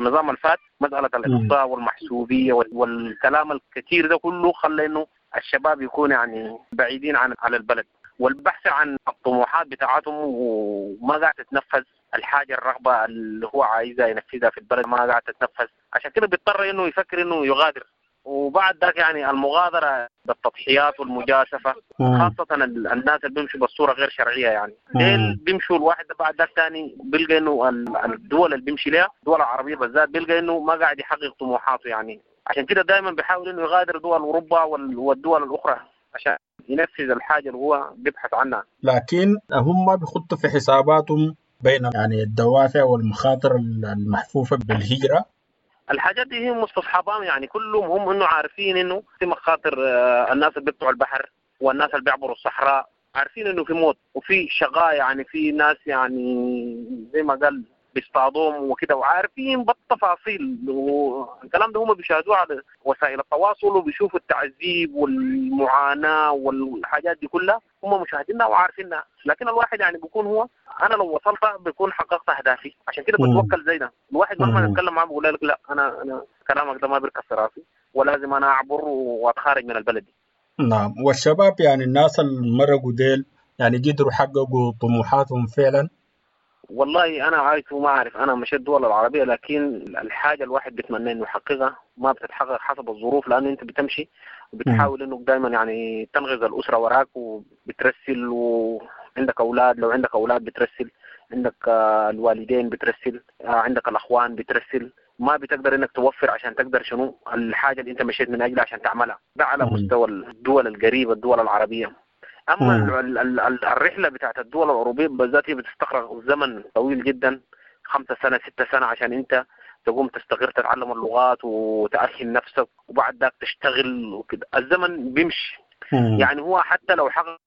النظام الفات، مسألة الإقصاء والمحسوبية والكلام الكثير ده كله خلى إنه الشباب يكون يعني بعيدين عن على البلد والبحث عن الطموحات بتاعتهم، وما قاعد تتنفذ الحاجة الرغبة اللي هو عايزها ينفذها في البلد ما قاعد تتنفذ، عشان كده بيضطر انه يفكر انه يغادر. وبعد ذاك يعني المغادرة بالتضحيات والمجازفه، خاصة الناس اللي بيمشوا بالصورة غير شرعية، يعني ديل بيمشوا الواحد بعد ذاك ثاني بيلقى انه الدول اللي بيمشي لها الدول العربية بالذات بيلقى انه ما قاعد يحقق طموحاته، يعني عشان كده دائما بيحاول انه يغادر دول اوروبا والدول الاخرى عشان ينفذ الحاجة اللي هو بيبحث عنها. لكن هم بيخطوا في حساباتهم بين يعني الدوافع والمخاطر المحفوفه بالهجرة. الحاجات دي هي مستصحبان، يعني كلهم هم انه عارفين انه في مخاطر، الناس اللي بيقطعوا البحر والناس اللي بيعبروا الصحراء عارفين انه في موت وفي شقاء، يعني في ناس يعني زي ما قال بيصطادوهم وكده، وعارفين بالتفاصيل، والكلام ده هم بيشاهدوه على وسائل التواصل وبيشوفوا التعذيب والمعاناة والحاجات دي كلها هم مشاهدينها وعارفينها. لكن الواحد يعني بيكون هو انا لو وصلت بيكون حققت اهدافي، عشان كده بتوكل زي ده. الواحد مهما نتكلم معاه بيقول لك لا انا كلامك ده ما بيركب في راسي ولازم انا اعبر واتخارج من البلد دي. نعم. والشباب يعني الناس اللي مرقوا ديل يعني قدروا حققوا طموحاتهم فعلا؟ والله انا عايش وما اعرف، انا مشيت الدول العربية لكن الحاجة الواحد بيتمنى انه يحققها ما بتتحقق حسب الظروف، لانه انت بتمشي وبتحاول انه دائما يعني تنغز الاسرة وراك وبترسل، وعندك اولاد لو عندك اولاد بترسل، عندك الوالدين بترسل، عندك الاخوان بترسل، ما بتقدر انك توفر عشان تقدر شنو الحاجة اللي انت مشيت من اجلها عشان تعملها. ده على مستوى الدول القريبة الدول العربية. اما الرحلة بتاعت الدول الاوروبية بالذات هي بتستغرق زمن طويل جدا، 5 سنة 6 سنة عشان انت تقوم تستقر تتعلم اللغات وتأهل نفسك وبعد ذاك تشتغل وكده، الزمن بيمشي. يعني هو حتى لو حقق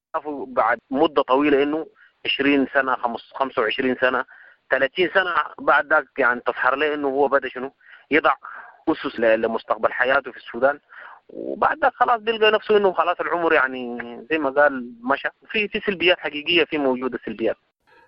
بعد مده طويلة انه 20 سنة 25 سنة 30 سنة بعد ذاك يعني تظهر له انه هو بدا شنو يضع اسس لمستقبل حياته في السودان، وبعد ذاك خلاص بيلقى نفسه انه خلاص العمر يعني زي ما قال مشى. في سلبيات حقيقية، في موجودة سلبيات.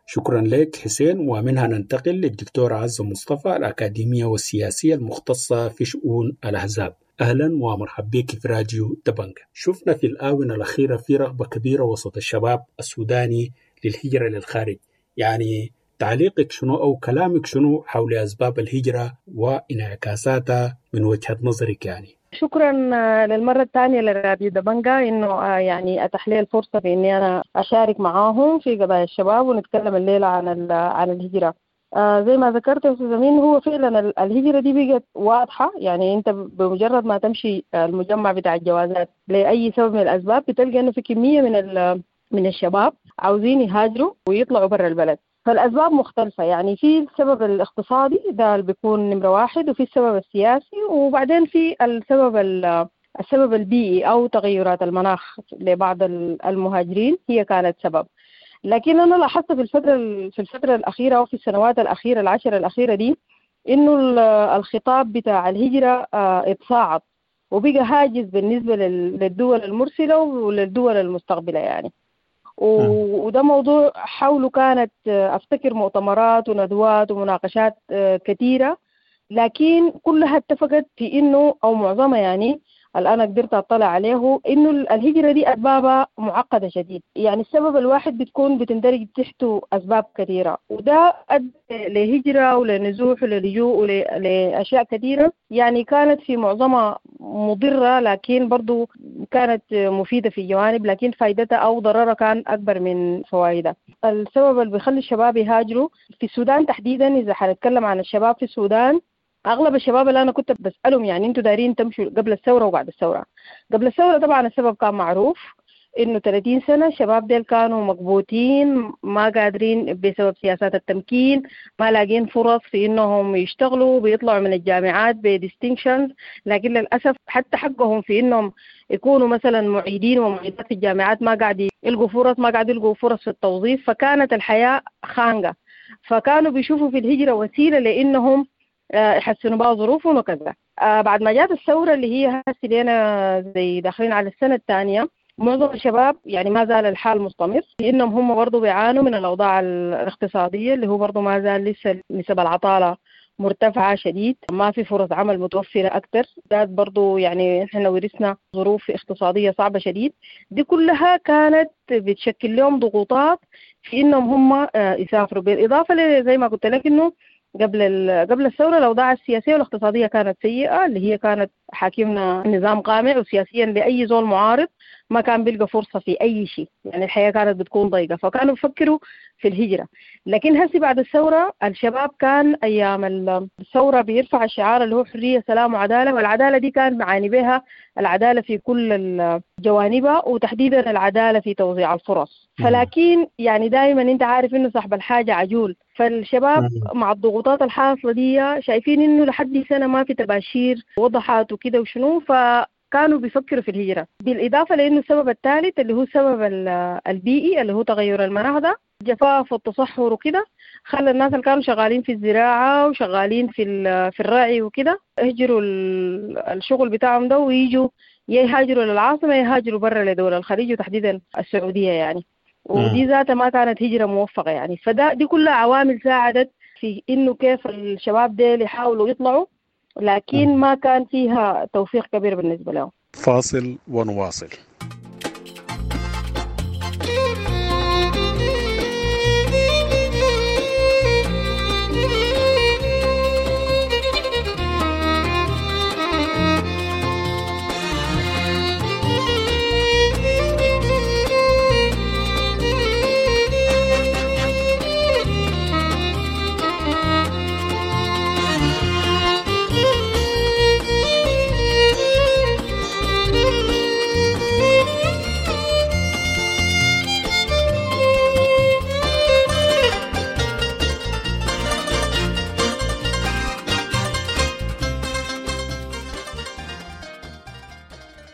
شكرا لك حسين. ومنها ننتقل للدكتورة عزة مصطفى الأكاديمية والسياسية المختصة في شؤون الأحزاب. أهلا ومرحبا بك في راديو دبنجة. شفنا في الآونة الأخيرة في رغبة كبيرة وسط الشباب السوداني للهجرة للخارج، يعني تعليقك شنو أو كلامك شنو حول أسباب الهجرة وانعكاساتها من وجهة نظرك يعني؟ شكرا للمرة الثانية لراديو دبنجا إنه يعني أتاح لي الفرصة في إني أنا أشارك معاهم في قضايا الشباب ونتكلم الليلة عن الهجرة. زي ما ذكرت يا أستاذ أمين، هو فعلا الهجرة دي بقت واضحة، يعني أنت بمجرد ما تمشي المجمع بتاع الجوازات لأي سبب من الأسباب بتلقى إنه في كمية من الشباب عاوزين يهاجروا ويطلعوا برا البلد. فالأسباب مختلفة، يعني في السبب الاقتصادي ده اللي بيكون نمرة واحد، وفي السبب السياسي، وبعدين في السبب البيئي أو تغيرات المناخ لبعض المهاجرين هي كانت سبب. لكن أنا لاحظت في الفترة الأخيرة أو في السنوات الأخيرة العشر الأخيرة دي إنه الخطاب بتاع الهجرة اتصاعد وبقى هاجس بالنسبة للدول المرسلة وللدول المستقبلة يعني. وده موضوع حوله كانت أفتكر مؤتمرات وندوات ومناقشات كثيرة، لكن كلها اتفقت في إنه أو معظمها يعني الآن قدرت أطلع عليه إنه الهجرة دي أسبابها معقدة شديد. يعني السبب الواحد بتكون بتندرج تحته أسباب كثيرة، وده أدى لهجرة ولنزوح وللجوء ولأشياء كثيرة، يعني كانت في معظمها مضرة لكن برضو كانت مفيدة في جوانب، لكن فائدتها أو ضررها كان أكبر من فوائدها. السبب اللي بيخلي الشباب يهاجروا في السودان تحديدا، إذا حنتكلم عن الشباب في السودان، أغلب الشباب اللي أنا كنت بسألهم يعني أنتوا دارين تمشوا قبل الثورة وبعد الثورة. قبل الثورة طبعا السبب كان معروف، إنه 30 سنة الشباب ديل كانوا مكبوتين، ما قادرين بسبب سياسات التمكين، ما لاقين فرص في إنهم يشتغلوا، بيطلعوا من الجامعات ب distinctions، لكن للأسف حتى حقهم في إنهم يكونوا مثلا معيدين ومعيدات في الجامعات ما قاعد يلقوا فرص، ما قاعد يلقوا فرص في التوظيف، فكانت الحياة خانقة. فكانوا بيشوفوا في الهجرة وسيلة لإنهم يحسنوا بقى ظروفهم وكذا. بعد ما جات الثورة اللي هي هسه لنا زي داخلين على السنة الثانية، معظم الشباب يعني ما زال الحال مستمر، لأنهم هم برضو بيعانوا من الأوضاع الاقتصادية اللي هو برضو ما زال لسه نسب العطالة مرتفعة شديد، ما في فرص عمل متوفرة أكتر، ذات برضو يعني إحنا ورثنا ظروف اقتصادية صعبة شديد. دي كلها كانت بتشكل لهم ضغوطات في إنهم هم يسافروا. بالإضافة زي ما قلت لك إنه قبل الثورة الأوضاع السياسية والاقتصادية كانت سيئة، اللي هي كانت حاكمنا نظام قامع، وسياسيا لأي زول معارض ما كان بيلقى فرصة في أي شيء، يعني الحياة كانت بتكون ضيقة، فكانوا بيفكروا في الهجرة. لكن هسي بعد الثورة الشباب كان أيام الثورة بيرفع الشعار اللي هو حرية سلام وعدالة، والعدالة دي كان معاني بها العدالة في كل جوانبها، وتحديدا العدالة في توزيع الفرص. فلكن يعني دائما انت عارف انه صاحب الحاجة عجول، فالشباب مع الضغوطات الحاصلة دي شايفين انه لحد سنة ما في تباشير وضحت وكده وشنو، فكانوا بيفكروا في الهجرة. بالإضافة لأنه السبب الثالث اللي هو السبب البيئي اللي هو تغير المناخ ده، الجفاف والتصحر وكده، خلى الناس اللي كانوا شغالين في الزراعة وشغالين في الرعي وكده يهجروا الشغل بتاعهم ده ويجوا يهاجروا للعاصمة، يهاجروا برا لدول الخليج وتحديدا السعودية يعني. ودي ذاتها ما كانت هجرة موفقة يعني. فده دي كلها عوامل ساعدت في إنه كيف الشباب ديل يحاولوا يطلعوا، لكن ما كان فيها توفيق كبير بالنسبة لهم. فاصل ونواصل.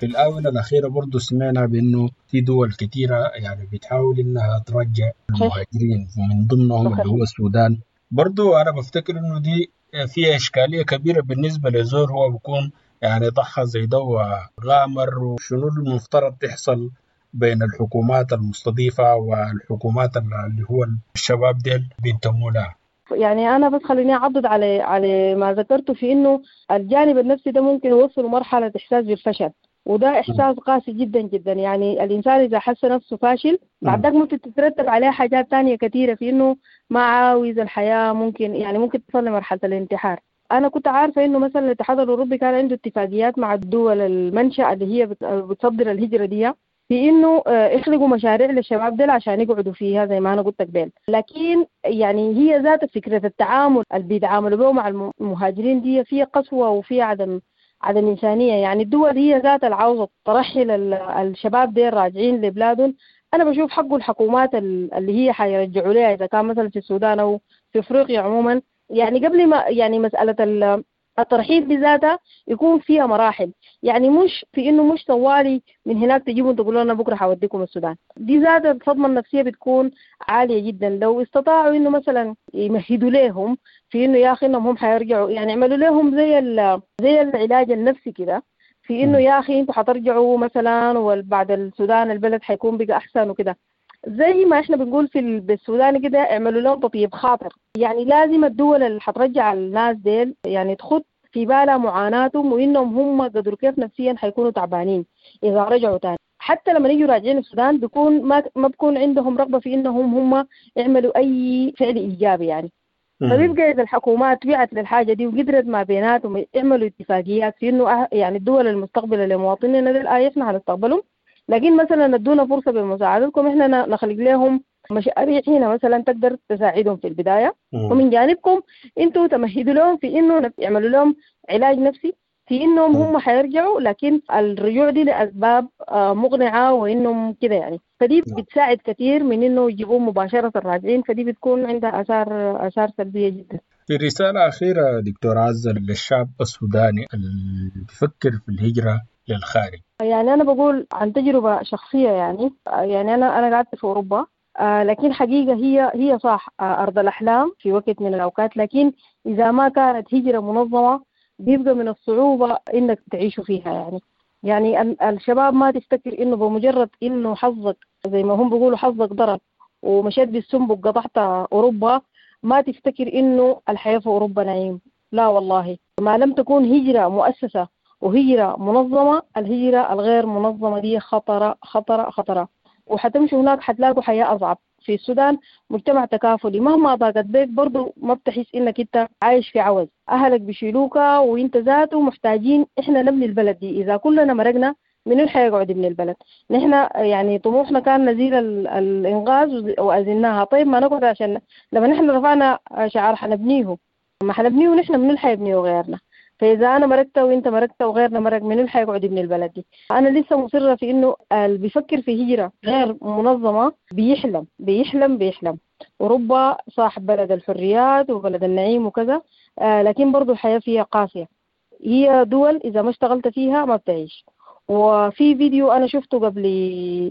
في الآونة الأخيرة برضو سمعنا بأنه في دول كثيرة يعني بتحاول إنها ترجع المهاجرين، ومن ضمنهم اللي هو السودان. برضو أنا بفتكر إنه دي فيها إشكالية كبيرة بالنسبة لزور هو بيكون يعني ضحى زي ده وغامر، وشنو المفترض تحصل بين الحكومات المستضيفة والحكومات اللي هو الشباب ديل بينتموا لها. يعني أنا بس خليني أعضد على ما ذكرته في إنه الجانب النفسي ده ممكن يوصل مرحلة إحساس بالفشل، وده إحساس قاسي جدا جدا. يعني الإنسان إذا حس نفسه فاشل بعد ذاك ممكن تترتب عليه حاجات تانية كثيرة في إنه ما عاوز الحياة، ممكن تصل لمرحلة الانتحار. انا كنت عارفه انه مثلا الاتحاد الاوروبي كان عنده اتفاقيات مع الدول المنشأ اللي هي بتصدر الهجرة دي في انه يخلقوا مشاريع للشباب ديل عشان يقعدوا فيها زي ما انا قلت قبل. لكن يعني هي ذات فكرة التعامل اللي بيتعاملوا به مع المهاجرين دي فيها قسوة وفيها عدم انسانيه. يعني الدول هي ذات العاوزه ترحل الشباب ديل راجعين لبلادهم. انا بشوف حقه الحكومات اللي هي حيرجعوا لها اذا كان مثلا في السودان او في افريقيا عموما، يعني قبل ما يعني مسالة الترحيل بذاتها يكون فيها مراحل، يعني مش في انه مش طوالي من هناك تجيبوا تقولوا لنا بكره حوديكم السودان. دي ذات الصدمة النفسية بتكون عالية جدا. لو استطاعوا انه مثلا يمهدوا لهم في انه يا اخي انهم هم حيرجعوا، يعني يعملوا لهم زي العلاج النفسي كده، في انه يا اخي انتوا حترجعوا مثلا وبعد السودان البلد حيكون بقى احسن وكده، زي ما احنا بنقول في بالسودان كده اعملوا لهم تطيب خاطر. يعني لازم الدول اللي حترجع الناس ديل يعني تخط في بالها معاناتهم وانهم هم قدروا كيف نفسيا حيكونوا تعبانين اذا رجعوا تاني. حتى لما يجوا راجعين السودان بيكون ما بكون عندهم رغبة في انهم هم يعملوا اي فعل ايجابي يعني. فبيبقى اذا الحكومات وعت للحاجة دي وقدرت ما بيناتهم يعملوا اتفاقيات في انه يعني الدول المستقبلة لمواطنينا ديل احنا هنستقبلهم، لكن مثلا ادونا فرصة بمساعدتكم احنا نخلق لهم مشاريع هنا مثلا تقدر تساعدهم في البداية، ومن جانبكم انتوا تمهدوا لهم في انه يعملوا لهم علاج نفسي في انهم هم حيرجعوا، لكن الرجوع دي لاسباب مقنعة وانهم كده يعني. فدي بتساعد كثير من انه يجيبوهم مباشرة الراجعين، فدي بتكون عندها اثار سلبية جدا. في رسالة اخيرة دكتور عزة للشعب السوداني اللي بيفكر في الهجرة للخارج. يعني انا بقول عن تجربه شخصية، يعني انا قعدت في اوروبا، لكن حقيقة هي صح ارض الاحلام في وقت من الاوقات، لكن اذا ما كانت هجره منظمة بيبقى من الصعوبة انك تعيشوا فيها. يعني الشباب ما تفتكر انه بمجرد انه حظك زي ما هم بيقولوا حظك ضرب ومشيت بالسنبك قطعت اوروبا، ما تفتكر انه الحياة في اوروبا نعيم. لا والله، ما لم تكون هجره مؤسسة وهجرة منظمة، الهجرة الغير منظمة دي خطرة خطرة خطرة، وحتمشوا هناك حتلاقوا حياة أصعب. في السودان مجتمع تكافلي، مهما ضاقت بيك برضو ما بتحس إنك أنت عايش في عوز، أهلك بيشيلوك وإنت ذاته محتاجين. إحنا نبني البلد دي، إذا كلنا مرقنا من اللي حيقعد من البلد؟ نحن يعني طموحنا كان نزيل الإنغاز وأزلناها. طيب ما نقعد، عشان لما نحن رفعنا شعار حنبنيه، ما حنبنيه نحن من اللي حيبنيه غيرنا؟ فإذا أنا مرقت وإنت مرقت وغيرنا مرق، من اللي حيقعد من البلد دي؟ أنا لسه مصرة في إنه اللي بيفكر في هجرة غير منظمة بيحلم بيحلم بيحلم. أوروبا صاحب بلد الحريات وبلد النعيم وكذا، لكن برضو الحياة فيها قاسية. هي دول إذا ما اشتغلت فيها ما بتعيش. وفي فيديو أنا شفته قبل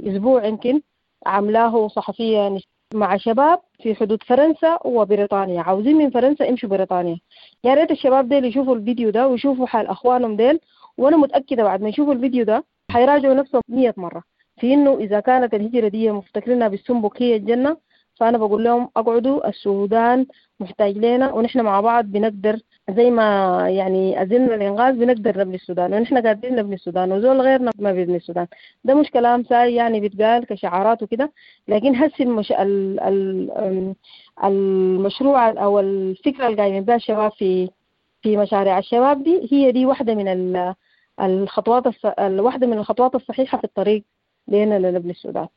أسبوع يمكن عاملاه صحفية مع شباب في حدود فرنسا وبريطانيا، عاوزين من فرنسا يمشوا بريطانيا. يا ريت الشباب ديل يشوفوا الفيديو ده ويشوفوا حال اخوانهم ديل، وانا متاكدة بعد ما يشوفوا الفيديو ده حيراجعوا نفسهم 100 مرة في انه اذا كانت الهجرة دي مفتكرينها بالسنبك هي الجنة، فانا بقول لهم اقعدوا، السودان محتاج لنا ونحن مع بعض بنقدر، زي ما يعني أزلنا الإنغاز بنقدر نبني السودان، ونحن قادرين نبني السودان، وزول غيرنا ما بيبني السودان. ده مش كلام ساي يعني بيتقال كشعارات وكده، لكن هسي المشروع أو الفكرة اللي قايمين بها الشباب في مشاريع الشباب دي، هي دي واحدة من الخطوات واحدة من الخطوات الصحيحة في الطريق لنا لنبني السودان.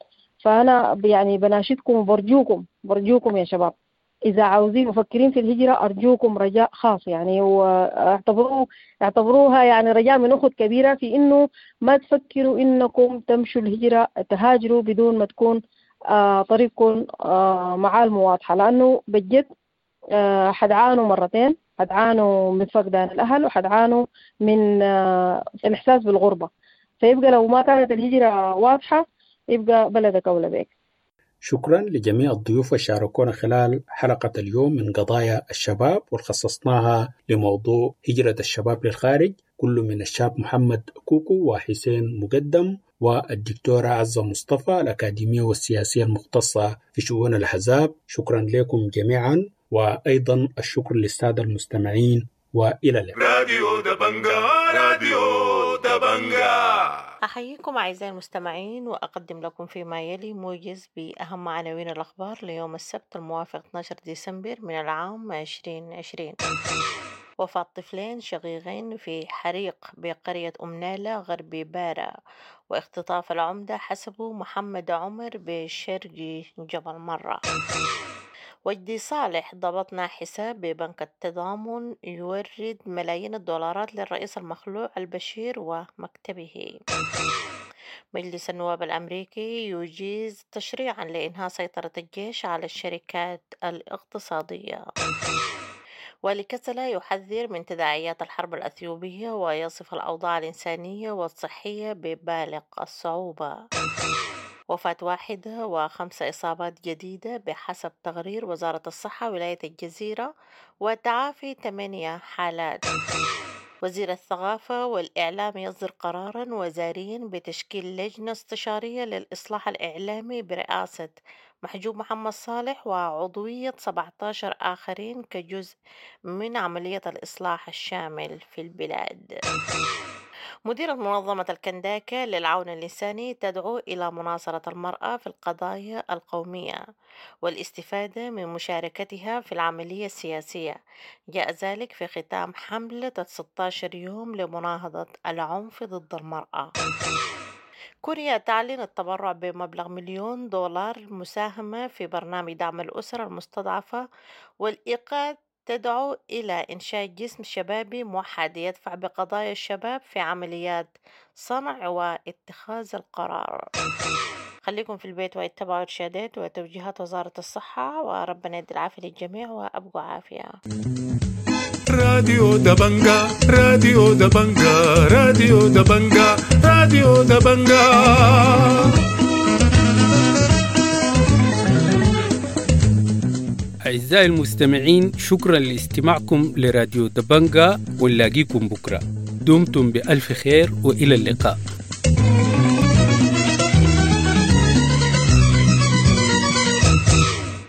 فأنا يعني بناشدكم وبرجوكم برجوكم يا شباب، إذا عاوزين مفكرين في الهجرة أرجوكم رجاء خاص يعني، واعتبروها يعني رجاء من أخت كبيرة في إنه ما تفكروا إنكم تمشوا الهجرة تهاجروا بدون ما تكون طريقكم معالمه واضحة، لأنه بجد حتعانوا مرتين، حتعانوا من فقدان الأهل وحتعانوا من الإحساس بالغربة. فيبقى لو ما كانت الهجرة واضحة يبقى بلدك أولى بك. شكرا لجميع الضيوف اللي شاركونا خلال حلقة اليوم من قضايا الشباب، وخصصناها لموضوع هجرة الشباب للخارج، كل من الشاب محمد كوكو وحسين مقدم والدكتورة عزة مصطفى الأكاديمية والسياسية المختصة في شؤون الأحزاب. شكرا لكم جميعا، وأيضا الشكر للسادة المستمعين، وإلى اللقاء. راديو دبنجا، راديو دبنجا. أحييكم أعزائي المستمعين، وأقدم لكم فيما يلي موجز بأهم عناوين الأخبار ليوم السبت الموافق 12 ديسمبر من العام 2020. وفاة طفلين شقيقين في حريق بقرية أم نالة غرب بارا، واختطاف العمدة حسبو محمد عمر بشرق جبل مرة. وجدي صالح: ضبطنا حساب ببنك التضامن يورد ملايين الدولارات للرئيس المخلوع البشير ومكتبه. مجلس النواب الأمريكي يجيز تشريعا لإنهاء سيطرة الجيش على الشركات الاقتصادية. والي كسلا يحذر من تداعيات الحرب الأثيوبية ويصف الأوضاع الإنسانية والصحية ببالغ الصعوبة. وفاة واحدة و5 إصابات جديدة بحسب تقرير وزارة الصحة ولاية الجزيرة، وتعافي 8 حالات. وزير الثقافة والإعلام يصدر قرارا وزاريا بتشكيل لجنة استشارية للإصلاح الإعلامي برئاسة محجوب محمد صالح وعضوية 17 آخرين كجزء من عملية الإصلاح الشامل في البلاد. مديرة منظمة الكنداكة للعون الإنساني تدعو إلى مناصرة المرأة في القضايا القومية والاستفادة من مشاركتها في العملية السياسية. جاء ذلك في ختام حملة 16 يوم لمناهضة العنف ضد المرأة. كوريا تعلن التبرع بمبلغ $1,000,000 مساهمة في برنامج دعم الأسر المستضعفة، والإيقاد تدعو إلى إنشاء جسم شبابي موحد يدفع بقضايا الشباب في عمليات صنع واتخاذ القرار. خليكم في البيت واتبعوا إرشادات وتوجيهات وزارة الصحة، وربنا يدي العافية للجميع وأبقوا عافية. راديو دبنجا، راديو دبنجا، راديو دبنجا، راديو دبنجا. أعزائي المستمعين، شكرا لاستماعكم لراديو دبنجا، ونلاقيكم بكرة. دمتم بألف خير وإلى اللقاء.